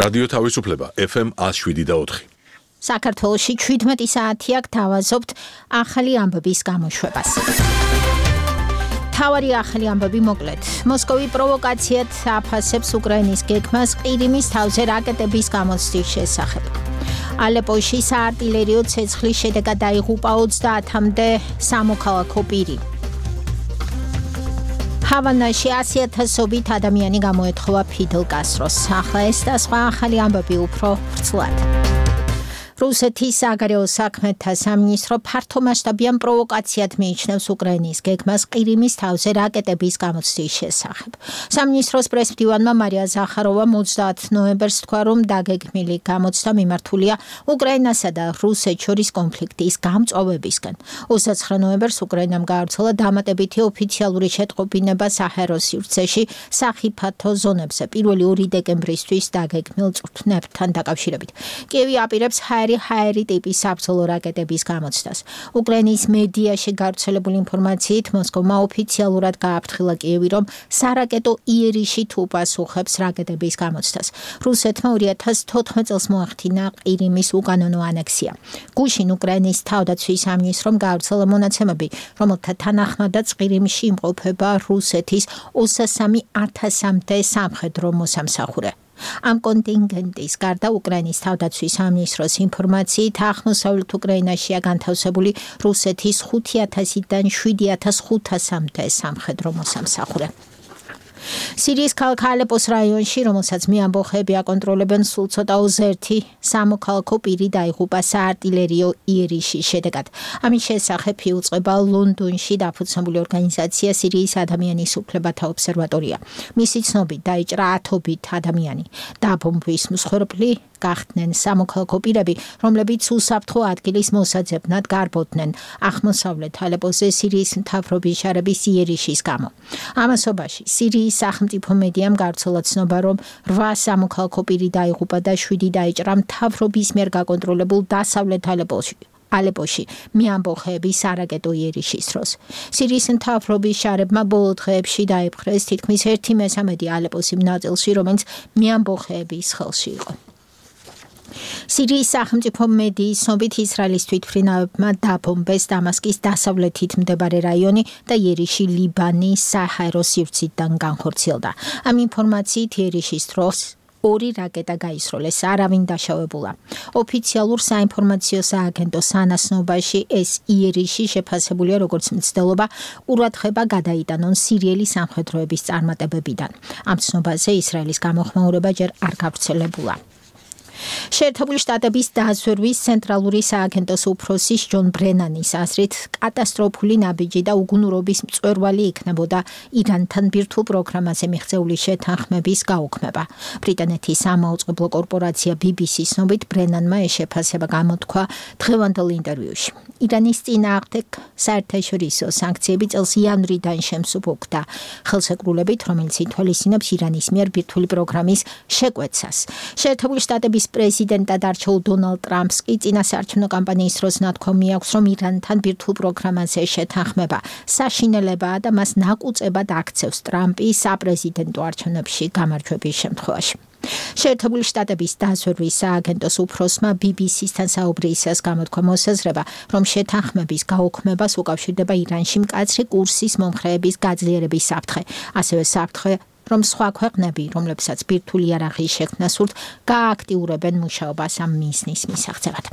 რადიო თავისუფლება FM 107.4. საქართველოში 17 საათი აქ თავაზობთ ახალი ამბების გამოშვებას. თავარი ახალი ამბები მოკლედ. მოსკოვი პროვოკაციად აფასებს უკრაინის გეგმას ყირიმის თავზე რაკეტების გამოცდის შესახებ. ალეპოში საარტილერიო ცეცხლის შედეგად დაიღუპა 30-მდე სამოქალაქო პირი. ჰავანაში 100,000-ობით ადამიანი გამოეთხოვა ფიდელ კასტროს. ახლა ეს და სხვა ახალი ამბები უფრო ვრცლად. რუსეთის საგარეო საქმეთა სამინისტრო ფართომასშტაბიან პროვოკაციად მიიჩნევს უკრაინის გეგმას ყირიმის თავზე რაკეტების გამოცდის შესახებ. სამინისტროს პრესმდივანმა მარია ზახაროვამ 30 ნოემბერს თქვა, რომ დაგეგმილი გამოცდა მიმართულია უკრაინასა და რუსეთს შორის კონფლიქტის გამწვავებისკენ. 29 ნოემბერს უკრაინამ გაავრცელა დამატებითი ოფიციალური შეტყობინება საჰაერო სივრცეში სახიფათო ზონებზე 1 დეკემბრისთვის დაგეგმილ წვრთნებთან დაკავშირებით. კიევი აპირებს ჰაერი ტიპის საბრძოლო რაკეტების გამოცდას. უკრაინის მედიაში გავრცელებული ინფორმაციით მოსკოვმა ოფიციალურად გააფრთხილა კიევი, რომ სარაკეტო იერიში თუ პასუხებს რაკეტების გამოცდას. რუსეთმა 2014 წელს მოახდინა ყირიმის უკანონო ანექსია. გუშინ უკრაინის თავდაცვის სამინისტრომ გაავრცელა მონაცემები, რომელთა თანახმადაც ყირიმში იმყოფება რუსეთის 23,000-მდე სამხედრო მოსამსახურე. ამ კონტინგენტის გარდა უკრაინის თავდაცვის სამინისტროს ინფორმაციით აღმოსავლეთ უკრაინაშია განთავსებული რუსეთის 5,000-დან 7,500-მდე სამხედრო მოსამსახურე. სირიის ქალაქ ალეპოს რაიონში, რომელსაც მეამბოხეები აკონტროლებენ, სულ ცოტა 21 სამოქალაქო პირი დაიღუპა საარტილერიო იერიშის შედეგად. ამის შესახებ იუწყება ლონდონში დაფუძნებული ორგანიზაცია სირიის ადამიანის უფლებათა ობსერვატორია. მისი ცნობით დაიჭრა 10-ობით ადამიანი. დაბომბვის მსხვერპლი გახდნენ სამოქალაქო პირები, რომლებიც უსაფრთხო ადგილის მოსაძებნად გარბოდნენ აღმოსავლეთ ალეპოზე სირიის მთავრობის შარების იერიშის გამო. ამასობაში სირიის სახელმწიფო მედიამ გავრცელა ცნობა, რომ 8 სამოქალაქო პირი დაიღუპა და 7 დაიჭრა მთავრობის მიერ გაკონტროლებულ დასავლეთ ალეპოში მეამბოხეების სარაკეტო იერიშის დროს. სირიის მთავრობის შარებმა ბოლო დღეებში დაიპყრეს თითქმის 1/3 ალეპოს იმ ნაწილში, რომელიც მეამბოხეების ხელში იყო. სირიის სახელმწიფო მედიის ცნობით ისრაელის თვითმფრინავებმა დაბომბეს დამასკის დასავლეთით მდებარე რაიონი და იერიში ლიბანის საჰაერო სივრციდან განხორციელდა. ამ ინფორმაციით იერიშის დროს 2 რაკეტა გაისროლეს, არავინ დაშავებულა. ოფიციალურ საინფორმაციო სააგენტო სანაცნობაში ეს იერიში შეფასებულია როგორც მცდელობა ყურადღება გადაიტანონ სირიელი სამხედროების წარმატებებიდან. ამ ცნობაზე ისრაელის გამოხმაურება ჯერ არ გავრცელებულა. შეერთებული შტატების დაზვერვის ცენტრალური სააგენტოს უფროსის ჯონ ბრენანის აზრით, კატასტროფული ნაბიჯი და უგუნურობის მწვერვალი იქნებოდა ირანთან ბირთვულ პროგრამაზე მიღწეული შეთანხმების გაუქმება. ბრიტანეთის სამაუწყებლო კორპორაცია BBC-ს ცნობით, ბრენანმა ეს შეფასება გამოთქვა დღევანდელ ინტერვიუში. ირანის წინააღმდეგ საერთაშორისო სანქციები წელს იანვრიდან შემსუბუქდა ხელშეკრულებით, რომელიც ითვალისწინებს ირანის მიერ ბირთვული პროგრამის შეკვეცას. შეერთებული შტატების პრეზიდენტად არჩეულ დონალდ ტრამპს კი წინასაარჩევნო კამპანიის დროს ნათქვამი აქვს, რომ ირანთან ბირთვულ პროგრამაზე შეთანხმება საშინელებაა და მას ნაკუწებად აქცევს ტრამპი საპრეზიდენტო არჩევნებში გამარჯვების შემთხვევაში. შეერთებული შტატების დაზვერვის სააგენტოს უფროსმა BBC-სთან საუბრისას გამოთქვა მოსაზრება, რომ შეთანხმების გაუქმებას უკავშირდება ირანში მკაცრი კურსის მომხრეების გაძლიერების საფრთხე, ასევე საფრთხე, რომ სხვა ქვეყნები, რომლებსაც ბირთვული იარაღის შექმნა სურთ, გააქტიურებენ მუშაობას ამ მიზნის მისაღწევად.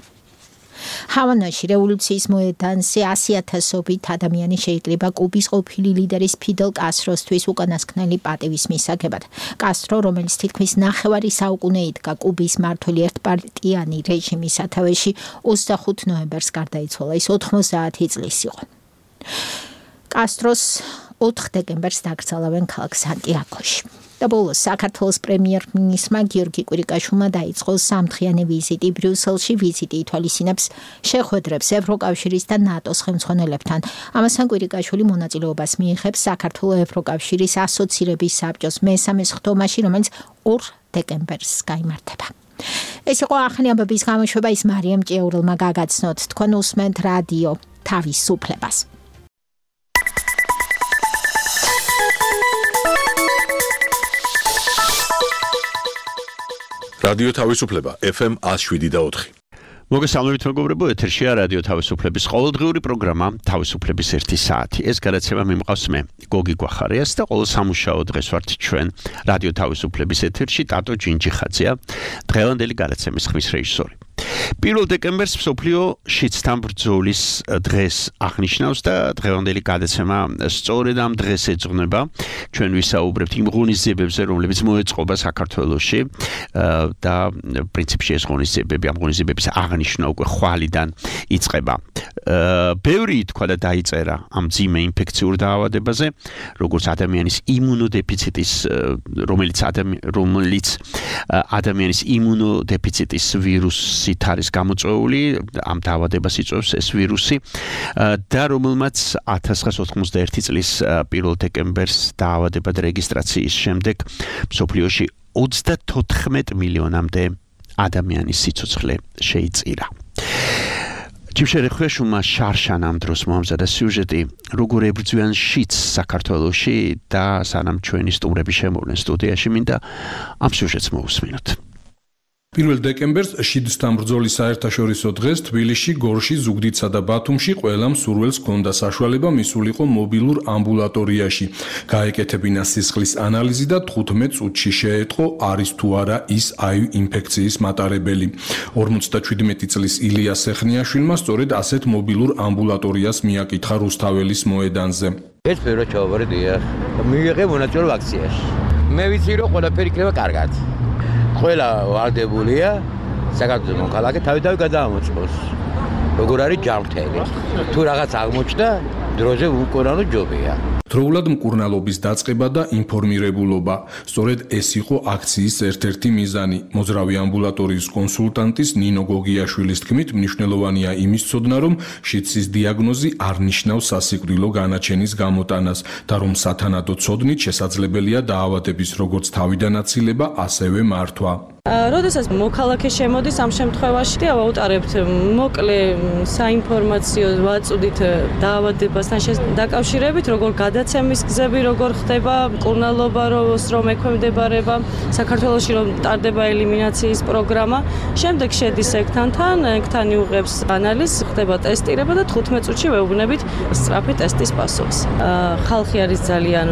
ჰავანაში რევოლუციის მოედანზე 100,000-ობით ადამიანი შეიძლება კუბის ყოფილი ლიდერის ფიდელ კასტროსთვის უკანასკნელი პატივის მისაგებად. კასტრო, რომელიც თითქმის ნახევარი საუკუნე იდგა კუბის მმართველი ერთპარტიანი რეჟიმის სათავეში, 25 ნოემბერს გარდაიცვალა. ის 90 წლის იყო. კასტროს 4 დეკემბერს დაკრძალავენ ქალაქ სანტიაგოში. და ბოლოს საქართველოს პრემიერ-მინისტრმა გიორგი კვირიკაშვილმა დაიწყო 3-დღიანი ვიზიტი ბრიუსელში. ვიზიტი ითვალისწინებს შეხვედრებს ევროკავშირის და ნატოს ხელმძღვანელებთან. ამასთან კვირიკაშვილი მონაწილეობას მიიღებს საქართველოს ევროკავშირის ასოცირების საბჭოს მესამე სხდომაში, რომელიც 2 დეკემბერს გაიმართება. ეს იყო ახალი ამბების გამოშვება, ის მარიამ ჭიაურელმა გაგაცნოთ. თქვენ უსმენთ რადიო თავისუფლებას. რადიო თავისუფლება FM 107.4. მოგესალმებით მეგობრებო, ეთერშია რადიო თავისუფლების ყოველდღიური პროგრამა თავისუფლების 1 საათი. ეს გადაცემა მიმყავს მე, გოგი გვახარიას და ყოველ სამუშაო დღეს ვართ ჩვენ რადიო თავისუფლების ეთერში ტატო ჯინჯიხაძეა, დღევანდელი გადაცემის ხმის რეჟისორი. 1 დეკემბერს მსოფლიო შიდსთან ბრძოლის დღეს აღნიშნავს და დღევანდელი გადაცემა სწორედ ამ დღეს ეძღვნება. ჩვენ ვისაუბრებთ იმ ღონისძიებებზე, რომლებიც მოეწყობა საქართველოში და პრინციპში ეს ღონისძიებები, ამ ღონისძიებების აღნიშნა უკვე ხვალიდან იწყება. ბევრი ითქვა და დაიწერა ამ მძიმე ინფექციურ დაავადებაზე, როგორც ადამიანის იმუნოდეფიციტის, რომელიც ადამიანის იმუნოდეფიციტის ვირუსით არის გამოწვეული, ამ დაავადებას იწვევს ეს ვირუსი და რომელმაც 1991 წლის 1 დეკემბერს დაავადებად რეგისტრაციის შემდეგ მსოფლიოში 34 მილიონამდე ადამიანის სიცოცხლე შეიწირა. ჯიმშერეხეშუმა შარშან ამ დროს მომზადა სიუჟეტი როგორ ებრძვიან შიდს საქართველოში და სანამ ჩვენი სტუმრები შემოვლენ სტუდიაში, მინდა ამ სიუჟეტს მოვუსმინოთ. 1 დეკემბერს შიდსთან ბრძოლის საერთაშორისო დღეს თბილისში, გორში, ზუგდიდსა და ბათუმში ყველა მსურველს ჰქონდა საშუალება მისულიყო მობილურ ამბულატორიაში. გაეკეთებინა სისხლის ანალიზი და 15 წუთში შეეწყო არის თუ არა ის აივ ინფექციის მატარებელი. 57 წლის ილია სეხნიაშვილმა სწორედ ასეთ მობილურ ამბულატორიას მიაკითხა რუსთაველის მოედანზე. ეს პირველ ჩავაბარდია. მიიღე მონაწილეობა აქციაში. მე ვიცი რომ ყველაფერი იქნება კარგად. ყველა ვარდებულია საქართველოს მოქალაქე თავი გადაამოწყოს. როგორ არის ჯანმრთელი. თუ რაღაც აღმოჩნდა, დროზე უკურანო ჯობია. დროულად მკურნალობის დაწყება და ინფორმირებულობა. სწორედ ეს იყო აქციის ერთ-ერთი მიზანი. მოძრავი ამბულატორიის კონსულტანტის ნინო გოგიაშვილის თქმით, მნიშვნელოვანია იმის ცოდნა, რომ შიდსის დიაგნოზი არ ნიშნავს სასიკვდილო განაჩენის გამოტანას და რომ სათანადო ცოდნით შესაძლებელია დაავადების როგორც თავიდან აცილება, ასევე მართვა. როდესაც მოქალაქე შემოდის ამ შემთხვევაში, ავაუტარებთ მოკლე საინფორმაციო ვაწუდით დაავადებასთან დაკავშირებით, როგორ გადაცემის გზები, როგორ ხდება მკურნალობა, რომ ექვემდებარება საქართველოში, რომ ტარდება ელიმინაციის პროგრამა. შემდეგ შედის ეგთან იუღებს ანალიზს, ხდება ტესტირება და 15 წუთში ვეუბნებით სწრაფი ტესტის პასუხს. ხალხი არის ძალიან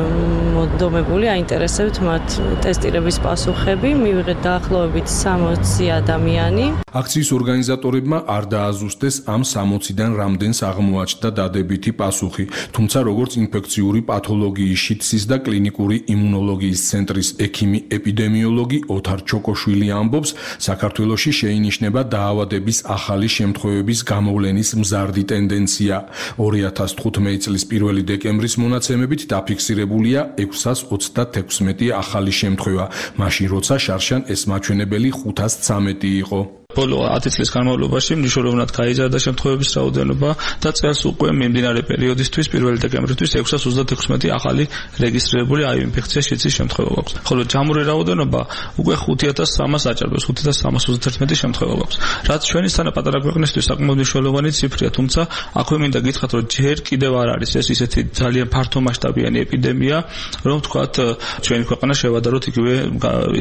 მოდომებული, აინტერესებთ მათ ტესტირების პასუხები, მივიღეთ დაახლოებით 60 ადამიანი. აქციის ორგანიზატორებმა არ დააზუსტეს ამ 60-დან რამდენს აღმოაჩნდა დადებითი პასუხი, თუმცა როგორც ინფექციური პათოლოგიის შიდსის და კლინიკური იმუნოლოგიის ცენტრის ექიმი ეპიდემიოლოგი ოთარ ჩოკოშვილი ამბობს, საქართველოში შეინიშნება დაავადების ახალი შემთხვევების გამოვლენის მზარდი ტენდენცია. 2015 წლის 1 დეკემბრის მონაცემებით დაფიქსირებულია 626 ახალი შემთხვევა, მაშინ როცა შარშან ეს მაჩვენებელი 513 იყო. ბოლო 10 წლის განმავლობაში მნიშვნელოვნად გაიზარდა შემთხვევების რაოდენობა და წელს უკვე მიმდინარე პერიოდისთვის 1 დეკემბრისთვის 636 ახალი რეგისტრირებული აივ ინფექცია შიდსის შემთხვევა გვაქვს. ხოლო ჯამური რაოდენობა უკვე 5300 აჭარბებს, 5331 შემთხვევა გვაქვს. რაც ჩვენი სთანა პატარა ქვეყნისთვის საკმაოდ მნიშვნელოვანი ციფრია, თუმცა აქვე მინდა გითხრათ, რომ ჯერ კიდევ არ არის ეს ისეთი ძალიან ფართომასშტაბიანი ეპიდემია, რომ თქვათ ჩვენი ქვეყანა შევადაროთ იგივე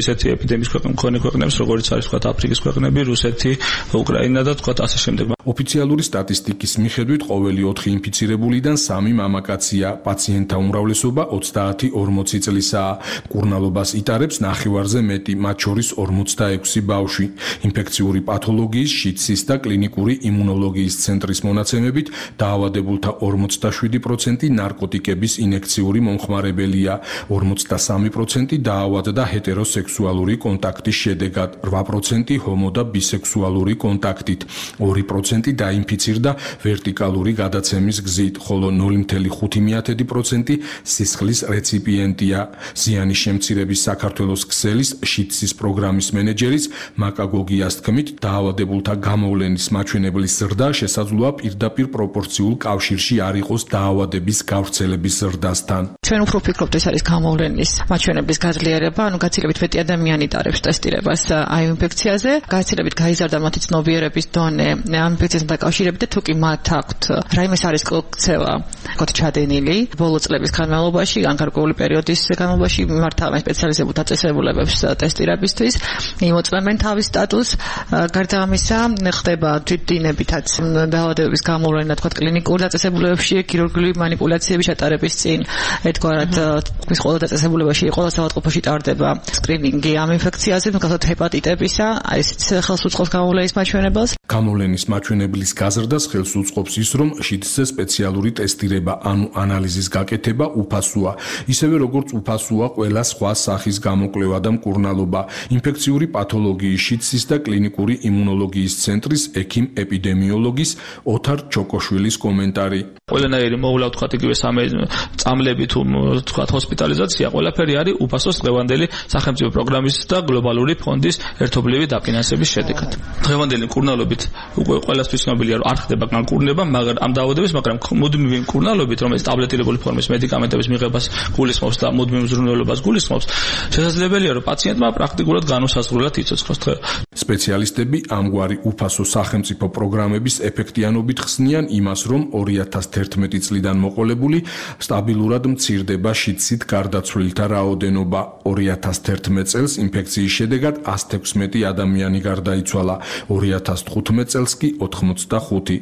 ისეთი ეპიდემიის მქონე ქვეყნებს, როგორც არის თქვათ აფრიკის ქვეყნები, რუსეთი, უკრაინა და თქვათ ასე შემდეგ. ოფიციალური სტატისტიკის მიხედვით ყოველი 4 ინფიცირებულიდან 3 მამაკაცია. პაციენტთა უმრავლესობა 30-40 წლისაა. მკურნალობას იტარებს ნახევარზე მეტი, მათ შორის 46 ბავშვი. ინფექციური პათოლოგიის, შიდსის და კლინიკური იმუნოლოგიის ცენტრის მონაცემებით დაავადებულთა 47% ნარკოტიკების ინექციური მომხმარებელია. 43% დაავადდა ჰეტეროსექსუალური კონტაქტის შედეგად, 8% ჰომო და ბისექსუალური კონტაქტით, 2% დაინფიცირდა ვერტიკალური გადაცემის გზით, ხოლო 0.5% სისხლის რეციპიენტია. ზიანის შემცირების საქართველოს ქსელის შიდსის პროგრამის მენეჯერის მაკა გოგიას თქმით, დაავადებულთა გამოვლენის მაჩვენებლის ზრდა შესაძლოა პირდაპირ პროპორციულ კავშირში არ იყოს დაავადების გავრცელების ზრდასთან. ჩვენ უფრო ვფიქრობთ, ეს არის გამოვლენის მაჩვენებლის გაძლიერება, გაცილებით მეტი ადამიანი იტარებს ტესტირებას აივ ინფექციაზე, გაცილებით გაიზარდა მათი ცნობიერების დონე ამ ინფექციასთან დაკავშირებით და თუ კი მათ აქვთ რაიმე სარისკო ქცევა გქოთ ჩადენილი ბოლო წლების განმავლობაში ან გარკვეული პერიოდის განმავლობაში მართავენ სპეციალიზებულ დაწესებულებებს ტესტირებისთვის იმოწმებენ თავის სტატუსს გარდა ამისა ხდება თვითდინებითაც დაავადებების გამოვლენა თქვა კლინიკურ დაწესებულებებში ქირურგიული манипуляციების ჩატარების წინ ერთგვარად ის ყველა დაწესებულებაში ყველა საავადმყოფოში ტარდება სკრინინგი ამ ინფექციაზე მაგალითად ჰეპატიტებისა აი ესეც ხელს უწყობს გამოვლენის მაჩვენებელს გამოვლენის მაჩვენებლის გაზრდას ხელს უწყობს ის რომ შიდსზე სპეციალური ტესტირება ანუ ანალიზის გაკეთება უფასოა ისევე როგორც უფასოა ყველა სხვა სახის გამოკვლევა და მკურნალობა ინფექციური პათოლოგიის შიდსის და კლინიკური იმუნოლოგიის ცენტრის ექიმ ეპიდემიოლოგის ოთარ ჩოკოშვილის კომენტარი ყველანაირი მოვლა თქვა იგივე წამლები თუ თქვა ჰოსპიტალიზაცია ყველაფერი არის უფასოს დღევანდელი სახელმწიფო პროგრამის და გლობალური ფონდის ერთობლივი დაფინანსების შედეგად დღევანდელი მკურნალობით უკვე ყველასთვის ცნობილია რომ არ ხდება განკურნება მაგრამ ამ დაავადების მაგრამ მუდმივი მკურნალობით რომელიც ტაბლეტირებული ფორმის მედიკამენტების მიღებას გულისხმობს და მუდმივ მზრუნველობას გულისხმობს შესაძლებელია რომ პაციენტმა პრაქტიკულად განუსაზღვრელად იცოცხლოს სპეციალისტები ამგვარი უფასო სახელმწიფო პროგრამების ეფექტიანობით ხსნიან იმას რომ 2011 წლიდან მოყოლებული სტაბილურად მცირდება შიდსით გარდაცვლილთა რაოდენობა 2011 წელს ინფექციის შედეგად 116 ადამიანი გარდაიცვალა 2015 წელს კი 85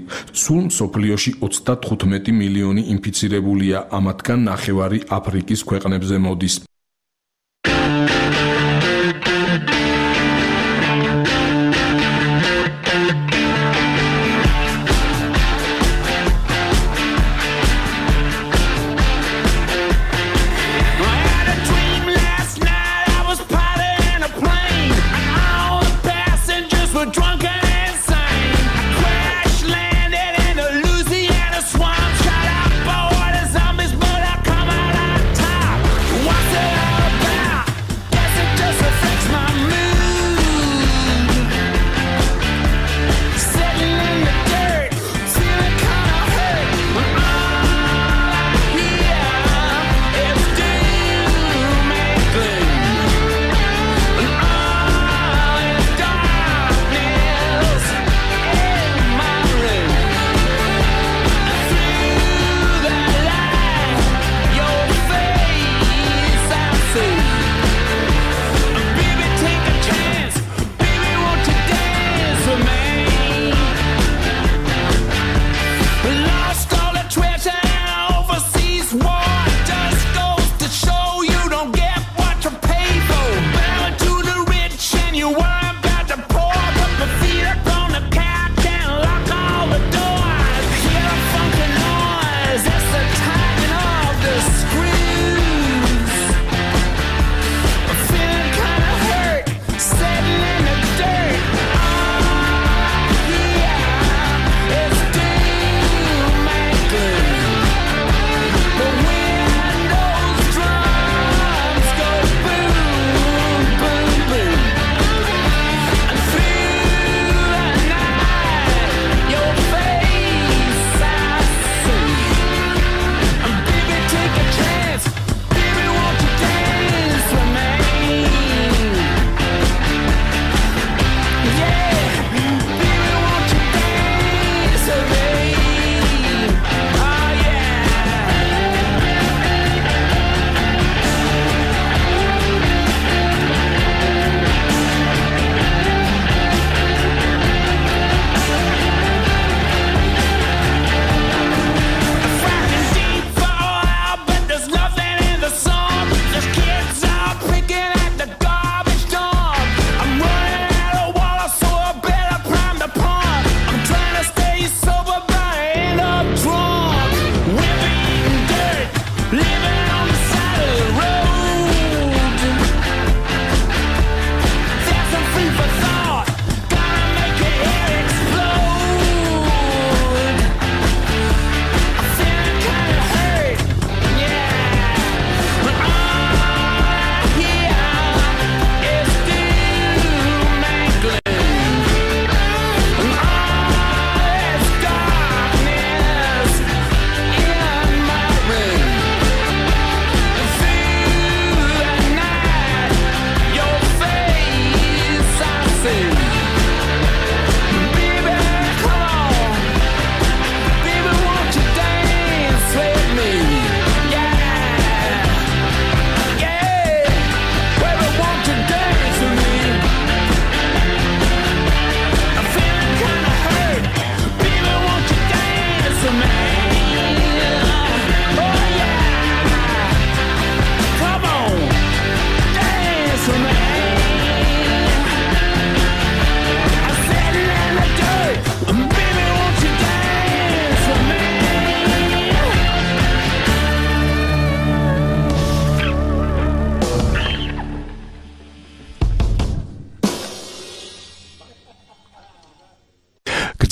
სულ მსოფლიოში 35 მილიონი ინფიცირებულია ამათგან ნახევარი აფრიკის ქვეყნებზე მოდის What's it?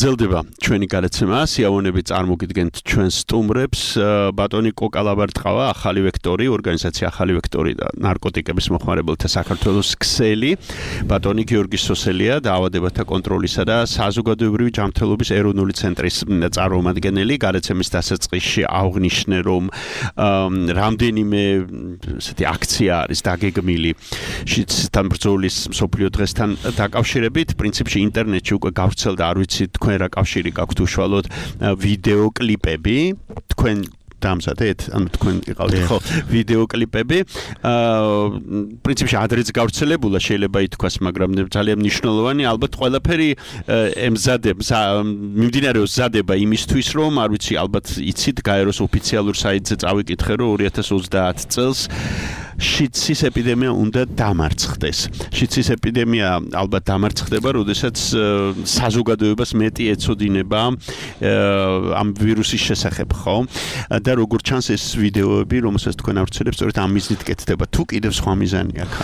გრძელდება ჩვენი გადაცემა, სიამოვნებით წარმოგიდგენთ ჩვენს სტუმრებს, ბატონი კოკა ლაბარტყავა, ახალი ვექტორი, ორგანიზაცია ახალი ვექტორი და ნარკოტიკების მოხმარებელთა საქართველოს ქსელი, ბატონი გიორგი სოსელია, დაავადებათა კონტროლისა და საზოგადოებრივი ჯანმრთელობის ეროვნული ცენტრის წარმომადგენელი. გადაცემის დასაწყისში აღნიშნე, რომ რამდენიმე ესეთი აქცია არის დაგეგმილი შიდსთან ბრძოლის მსოფლიო დღესთან დაკავშირებით. პრინციპში ინტერნეტში უკვე გავრცელდა, არ ვიცი თქვენ რა კავშირი გაქვთ უშუალოდ ვიდეო კლიპები, თქვენ დამზადეთ, ანუ თქვენ იყავთ ხო ვიდეო კლიპები. პრინციპში ადრეც გავრცელებულა შეიძლება ითქვას, მაგრამ ძალიან მნიშვნელოვანი, ალბათ ყველაფერი მიმდინარეობს მზადება იმისთვის, რომ არ ვიცი, ალბათ იცით, გაეროს ოფიციალურ საიტზე წავიკითხე, რომ 2030 წელს შიდსის ეპიდემია უნდა დამარცხდეს. შიდსის ეპიდემია ალბათ დამარცხდება, როდესაც საზოგადოებას მეტი ეცოდინება ამ ვირუსის შესახებ, ხო? და როგორც ჩანს ეს ვიდეოები, რომელსაც თქვენ ავრცელებთ, სწორედ ამ მიზნით კეთდება. თუ კიდევ სხვა მიზანი აქვს?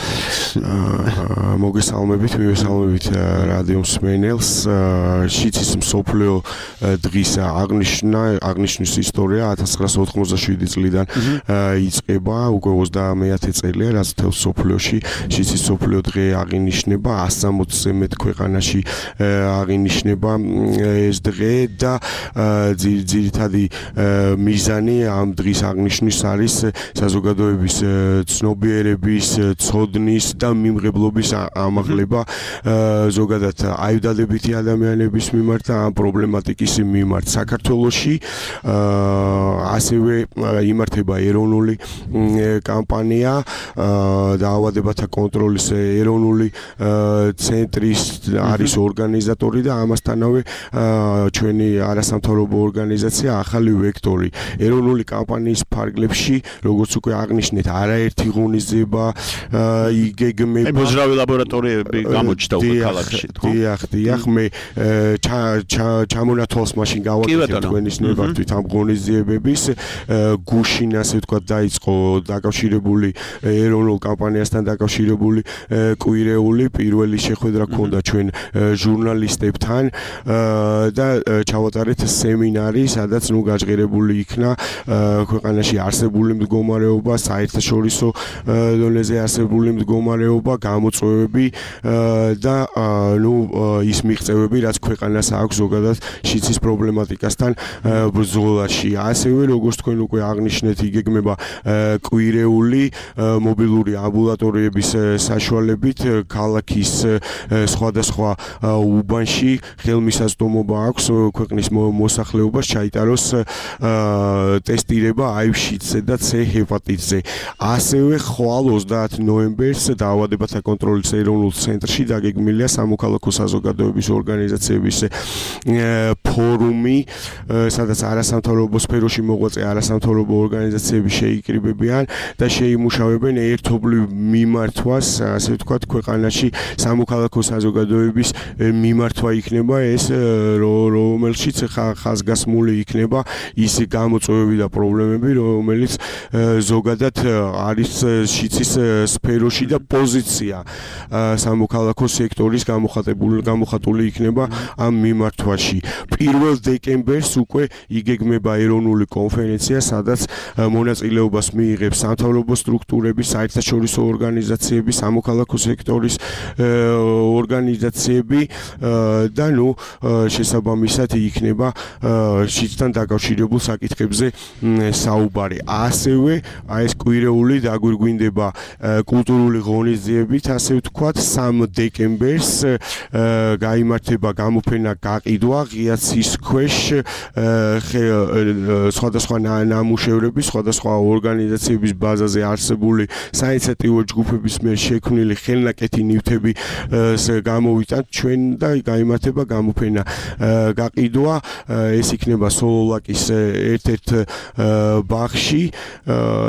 მოგესალმებით, მივესალმებით რადიო მსმენელს. შიდსის მსოფლიო დღის აღნიშვნის ისტორია 1987 წლიდან იწყება, უკვე 30 წელია, რაც მთელ მსოფლიოში შიდსის მსოფლიო დღე აღინიშნება, 160-ზე მეტ ქვეყანაში აღინიშნება ეს დღე და ძირითადი მიზანი ამ დღის აღნიშვნის არის საზოგადოების ცნობიერების, ცოდნის და მიმღებლობის ამაღლება ზოგადად აივდადებითი ადამიანების მიმართ და ამ პრობლემატიკის მიმართ. საქართველოში ასევე იმართება ეროვნული კამპანია დაავადებათა კონტროლის ეროვნული ცენტრის არის ორგანიზატორი და ამასთანავე ჩვენი არასამთავრობო ორგანიზაცია ახალი ვექტორი. ეროვნული კამპანიის ფარგლებში, როგორც უკვე აღნიშნეთ, არაერთი ღონისძიება იგეგმება. მოძრავი ლაბორატორიები გამოჩნდა უკვე ქალაქში, ხო? დიახ, მე ჩამონათვალს მაშინ გავაკეთე თქვენის ნებართვით ამ ღონისძიებების გუშინ, ასე ვთქვათ, დაიწყო დაკავშირებული ეროვნულ კამპანიასთან დაკავშირებული კვირეული პირველი შეხვედრა ჰქონდა ჩვენ ჟურნალისტებთან და ჩავატარეთ სემინარი, სადაც გაჟღერებული იქნა ქვეყანაში არსებული მდგომარეობა, საერთაშორისო დონეზე არსებული მდგომარეობა, გამოწვევები და ის მიღწევები, რაც ქვეყანას აქვს ზოგადად შიდსის პრობლემატიკასთან ბრძოლაში. ასევე, როგორც თქვენ უკვე აღნიშნეთ, იგეგმება კვირეული მობილური ამბულატორიების საშუალებით ქალაქის სხვადასხვა უბანში ხელმისაწვდომობა აქვს ქვეყნის მოსახლეობას ჩაიტაროს ტესტირება HIV-ზე და C ჰეპატიტზე. ასევე ხვალ 30 ნოემბერს დაავადებათა კონტროლის ეროვნულ ცენტრში დაგეგმილია სამოქალაქო საზოგადოების ორგანიზაციების ფორუმი, სადაც არასამთავრობო სფეროში მოღვაწე არასამთავრობო ორგანიზაციები შეიკრიბებიან და შეიმუშავებენ ერთობლივ მიმართვას, ასე ვთქვათ, ქვეყანაში სამოქალაქო საზოგადოების მიმართვა იქნება ეს, რომელშიც ხაზგასმული იქნება ის გამოწვევები და პრობლემები, რომელიც ზოგადად არის შიდსის სფეროში და პოზიცია სამოქალაქო სექტორის გამოხატული იქნება ამ მიმართვაში. 1 დეკემბერს უკვე იგეგმება ეროვნული კონფერენცია, სადაც მონაწილეობას მიიღებს სამთავრობო სტრუქტურები, საერთაშორისო ორგანიზაციები, სამოქალაქო სექტორის ორგანიზაციები და შესაბამისად იქნება შიდსთან დაკავშირებულ საკითხებზე საუბარი. ასევე ეს კვირეული დაგვირგვინდება კულტურული ღონისძიებით, ასე ვთქვათ, 3 დეკემბერს გაიმართება გამოფენა გაყიდვა ღიაცის ქვეშ სხვადასხვა ნამუშევრების, სხვადასხვა ორგანიზაციების ბაზაზე არსებული საინიციატივო ჯგუფების მიერ შექმნილი ხელნაკეთი ნივთები გამოვიტანთ ჩვენ და გაიმართება გამოფენა გაყიდვა. ეს იქნება სოლოლაკის ერთ-ერთ ბაღში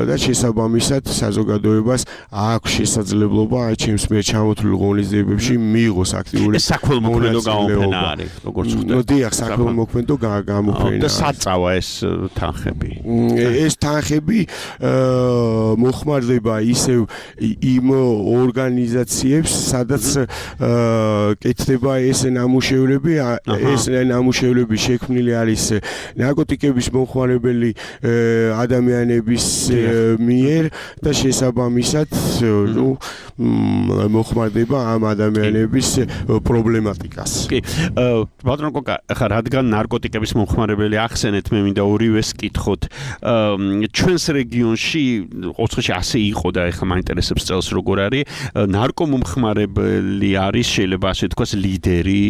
და შესაბამისად საზოგადოებას აქვს შესაძლებლობა ჩემს მიერ ჩამოთვლილ ღონისძიებებში მიიღოს აქტიური ეს საქველმოქმედო გამოფენა არის, როგორც ხვდები. დიახ, სახელმოქმედო გამოფენა. და საწავა ეს თანხები. ეს თანხები მოხმარდება ისევ იმ ორგანიზაციებს, სადაც კეთდება ეს ნამუშევრები, ეს ნამუშევრები შექმნილი არის ნარკოტიკების მომხმარებელი ადამიანების მიერ და შესაბამისად მოხმარდება ამ ადამიანების პრობლემატიკას. კი, ბატონო კოკა, ხა რადგან ნარკოტიკების მომხმარებელი ახსენეთ, მე მინდა ორივეს კითხოთ. ჩვენს რეგიონში ოცხოში ასე იყო და ეხლა მაინტერესებს წელს როგორ არის ნარკომომხმარებელი არის შეიძლება ასე თქვას ლიდერი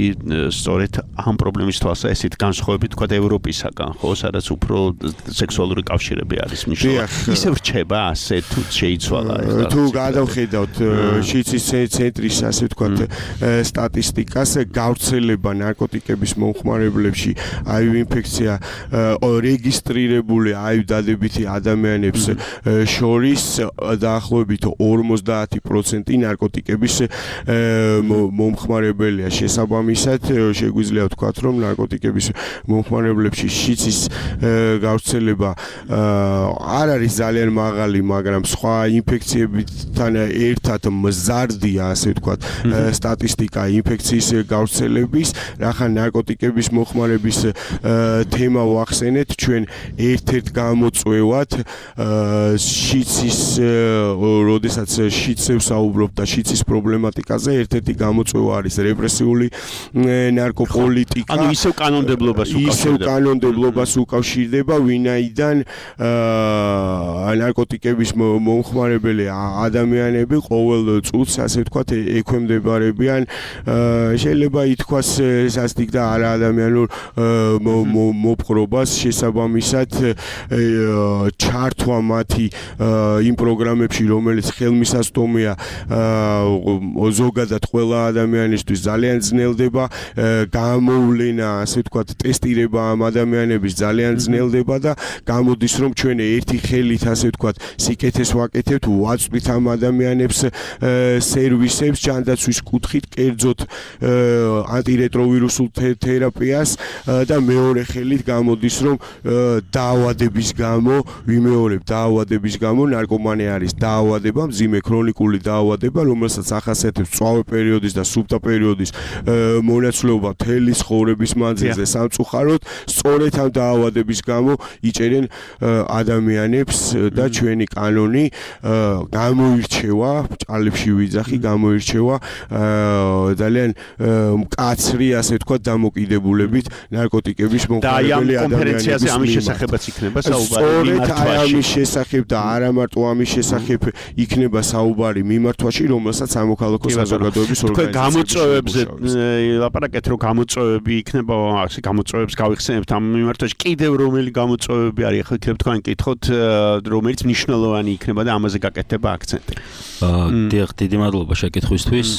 სწორედ ამ პრობლემის თვალსაზრისით განსხვავებით თქვა ევროპისაგან ხო სადაც უფრო სექსუალური კავშირები არის მნიშვნელოვანი ისე რჩება ასე თუ შეიცვალა ეხლა თუ გადავხედავთ შიცის ცენტრის ასე თქვა სტატისტიკას გავრცელება ნარკოტიკების მომხმარებლებში HIV ინფექცია რეგისტრირებული HIV დადებითი ადამიანებს შორის დაახლოებით 50% ნარკოტიკების მომხმარებელია შესაბამისად შეგვიძლია ვთქვათ რომ ნარკოტიკების მომხმარებლებში შიცის გავრცელება არ არის ძალიან მაღალი მაგრამ სხვა ინფექციებთან ერთად მზარდია ასე ვთქვათ სტატისტიკა ინფექციის გავრცელების რახან ნარკოტიკების მომხმარების თემა ვახსენეთ ჩვენ ერთ-ერთ გამოწვევად შიცის როდესაც შიცებს საუბრობ და შიცის პრობლემატიკაზე ერთ-ერთი გამოწვევა არის რეპრესიული ნარკოპოლიტიკა. ანუ ისევ კანონმდებლობას უკავშირდება, ვინაიდან ნარკოტიკების მომხმარებელი ადამიანები ყოველ წუთს ასე ვთქვათ ექვემდებარებიან შეიძლება ითქვას სასტიკ და არაადამიანურ მოპყრობას შესაბამისად ჩართვა მათი იმ პროგრამებში რომელიც ხელმისაწვდომია ზოგადად ყველა ადამიანისთვის ძალიან ძნელდება გამოვლენა ასე ვთქვათ ტესტირება ამ ადამიანების ძალიან ძნელდება და გამოდის რომ ჩვენ ერთი ხელით ასე ვთქვათ სიკეთეს ვაკეთებთ ვაწვით ამ ადამიანებს სერვისებს ჯანდაცვის კუთხით კერძოდ ანტირეტროვირუსულ თერაპიას და მეორე ხელით გამოდის რომ დაავადების გამო ვიმეორებ დაავადების გამო ნარკომანია არის დაავადება მძიმე ქრონიკული დაავადება რომელსაც ახასიათებს წვავე პერიოდის და სუფთა პერიოდის მონაცვლეობა მთელი ცხოვრების მანძილზე სამწუხაროდ სწორედ ამ დაავადების გამო იჭერენ ადამიანებს და ჩვენი კანონი გამოირჩევა ჭალებში ვიძახი გამოირჩევა ძალიან მკაცრი ასე ვთქვათ დამოკიდებულებით ნარკოტიკების მომხმარებელი ადამიანების კონფერენციაზე ამის შესახებაც იქნება საუბარი ამის შესახებ და არა მარტო ამის შესახებ იქნება საუბარი მიმართვაში რომელსაც სამოქალაქო საზოგადოების გამოწვევებზე ლაპარაკეთ რომ გამოწვევები იქნება ასე გამოწვევებს გავიხსენებთ ამ მიმართვაში კიდევ რომელი გამოწვევები არის ახლა იქნება თქვენ კითხოთ რომელიც მნიშვნელოვანი იქნება და ამაზე გაკეთდება აქცენტი დიახ დიდი მადლობა შეკითხვისთვის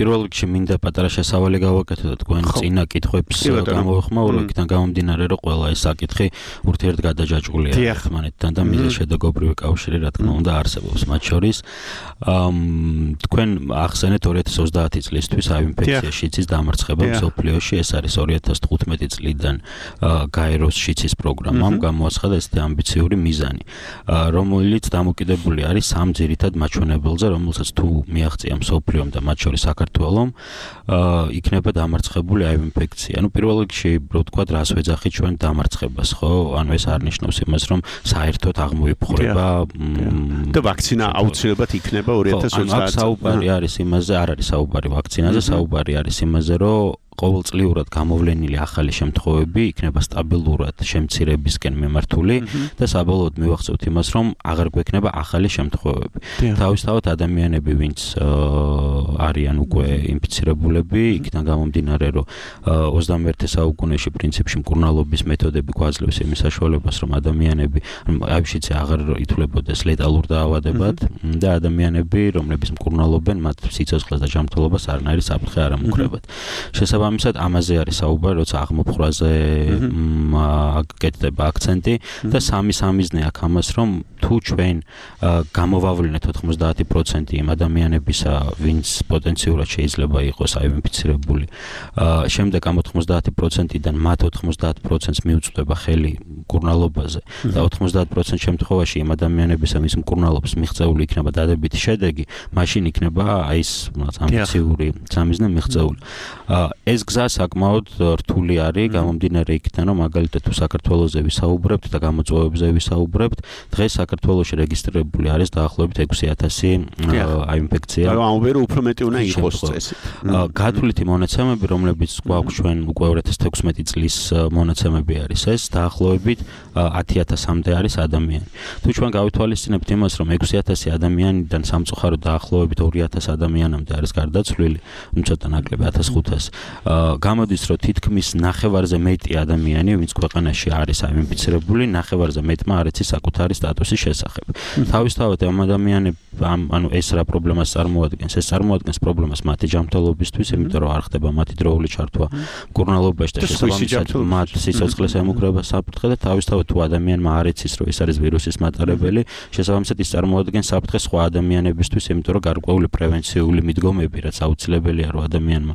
პირველ რიგში მინდა პატარა შესავალი გავაკეთო და თქვენ წინა კითხვებს გამოვიხმაურო იქიდან გამომდინარე რომ ყველა ეს საკითხი ურთიერთგადაჯაჭვულია ერთმანეთთან და მიზეზშედეგობრივი კავშირი რა თქმა უნდა არსებობს მათ შორის თქვენ ახსენეთ 2030 წლისთვის HIV ინფექცია შიცის დამარცხება მსოფლიოში ეს არის 2015 წლიდან გაეროს შიცის პროგრამამ გამოაცხადა ესეთი ამბიციური მიზანი რომელიც დამოკიდებული არის სამ ძირითად მაჩვენებელზე რომელსაც თუ მიაღწია მსოფლიომ და მათ შორის საქართველოს იქნება დამარცხებული HIV ინფექცია. ანუ პირველ რიგში ვთქვათ რას ვეძახით ჩვენ დამარცხებას, ხო? ანუ ეს არ ნიშნავს იმას, რომ საერთოდ აღმოიფხვრება და ვაქცინა აუცილებლად იქნება 2030 წელს. საუბარი არის იმაზე, არ არის საუბარი ვაქცინაზე, საუბარი არის იმაზე, რომ ყოველწლიურად გამოვლენილი ახალი შემთხვევები იქნება სტაბილურად შემცირებისკენ მიმართული და საბოლოოდ მივახცევთ იმას, რომ აღარ გვექნება ახალი შემთხვევები. თავისთავად ადამიანები, ვინც არიან უკვე ინფიცირებულები, იქიდან გამომდინარე, რომ 21 საუკუნეში პრინციპში მკურნალობის მეთოდები გვაძლევს იმის საშუალებას, რომ ადამიანები HIV-ში აღარ ითვლებოდეს ლეტალურ დაავადებად და ადამიანები, რომლებიც მკურნალობენ, მათ სიცოცხლეს და ჯანმრთელობას არანაირი საფრთხე არ ამუქრებათ. შესაბამისად შესაბამისად ამაზე არის საუბარი, როცა აღმოფხვრაზე გეტდება აქცენტი და სამიზნე აქ ამას, რომ თუ ჩვენ გამოვავლინეთ 90% იმ ადამიანებისა, ვინც პოტენციურად შეიძლება იყოს აინფიცირებული, შემდეგ ამ 90%-დან მათ 90%-ს მიუწვდება ხელი მკურნალობაზე და 90% შემთხვევაში იმ ადამიანებისა, ვის მკურნალობს მიღწეული იქნება დადებითი შედეგი, მაშინ იქნება აი ეს ამბიციური სამიზნე მიღწეული. ეს გზა საკმაოდ რთული არის, გამომდინარე იქიდან, რომ მაგალითად თუ საქართველოზე ვისაუბრებთ და გამოწვევებზე ვისაუბრებთ, დღეს საქართველოში რეგისტრირებული არის დაახლოებით 6,000 აი ინფექცია. ამბობენ რომ უფრო მეტი უნდა იყოს წესი. გათვლითი მონაცემები, რომლებიც გვაქვს ჩვენ უკვე 2016 წლის მონაცემები არის ეს, დაახლოებით 10,000-მდე არის ადამიანი. თუ ჩვენ გავითვალისწინებთ იმას, რომ 6,000 ადამიანიდან სამწუხაროდ დაახლოებით 2,000 ადამიანამდე არის გარდაცვლილი, ცოტა ნაკლები 1,500. გამოდის, რომ თითქმის ნახევარზე მეტი ადამიანი, ვინც ქვეყანაში არის აინფიცირებული, ნახევარზე მეტმა არ იცის საკუთარი სტატუსის შესახებ. თავისთავად ამ ანუ ეს რა პრობლემას წარმოადგენს? ეს წარმოადგენს პრობლემას მათი ჯანმრთელობისთვის, იმიტომ რომ არ ხდება მათი დროული ჩართვა მკურნალობაში და შესაბამისად მათ სიცოცხლეს ემუქრება საფრთხე და თავისთავად თუ ადამიანმა არ იცის, რომ ეს არის ვირუსის მატარებელი, შესაბამისად ის წარმოადგენს საფრთხე სხვა ადამიანებისთვის, იმიტომ რომ გარკვეული პრევენციული მიდგომები, რაც აუცილებელია რომ ადამიანმა,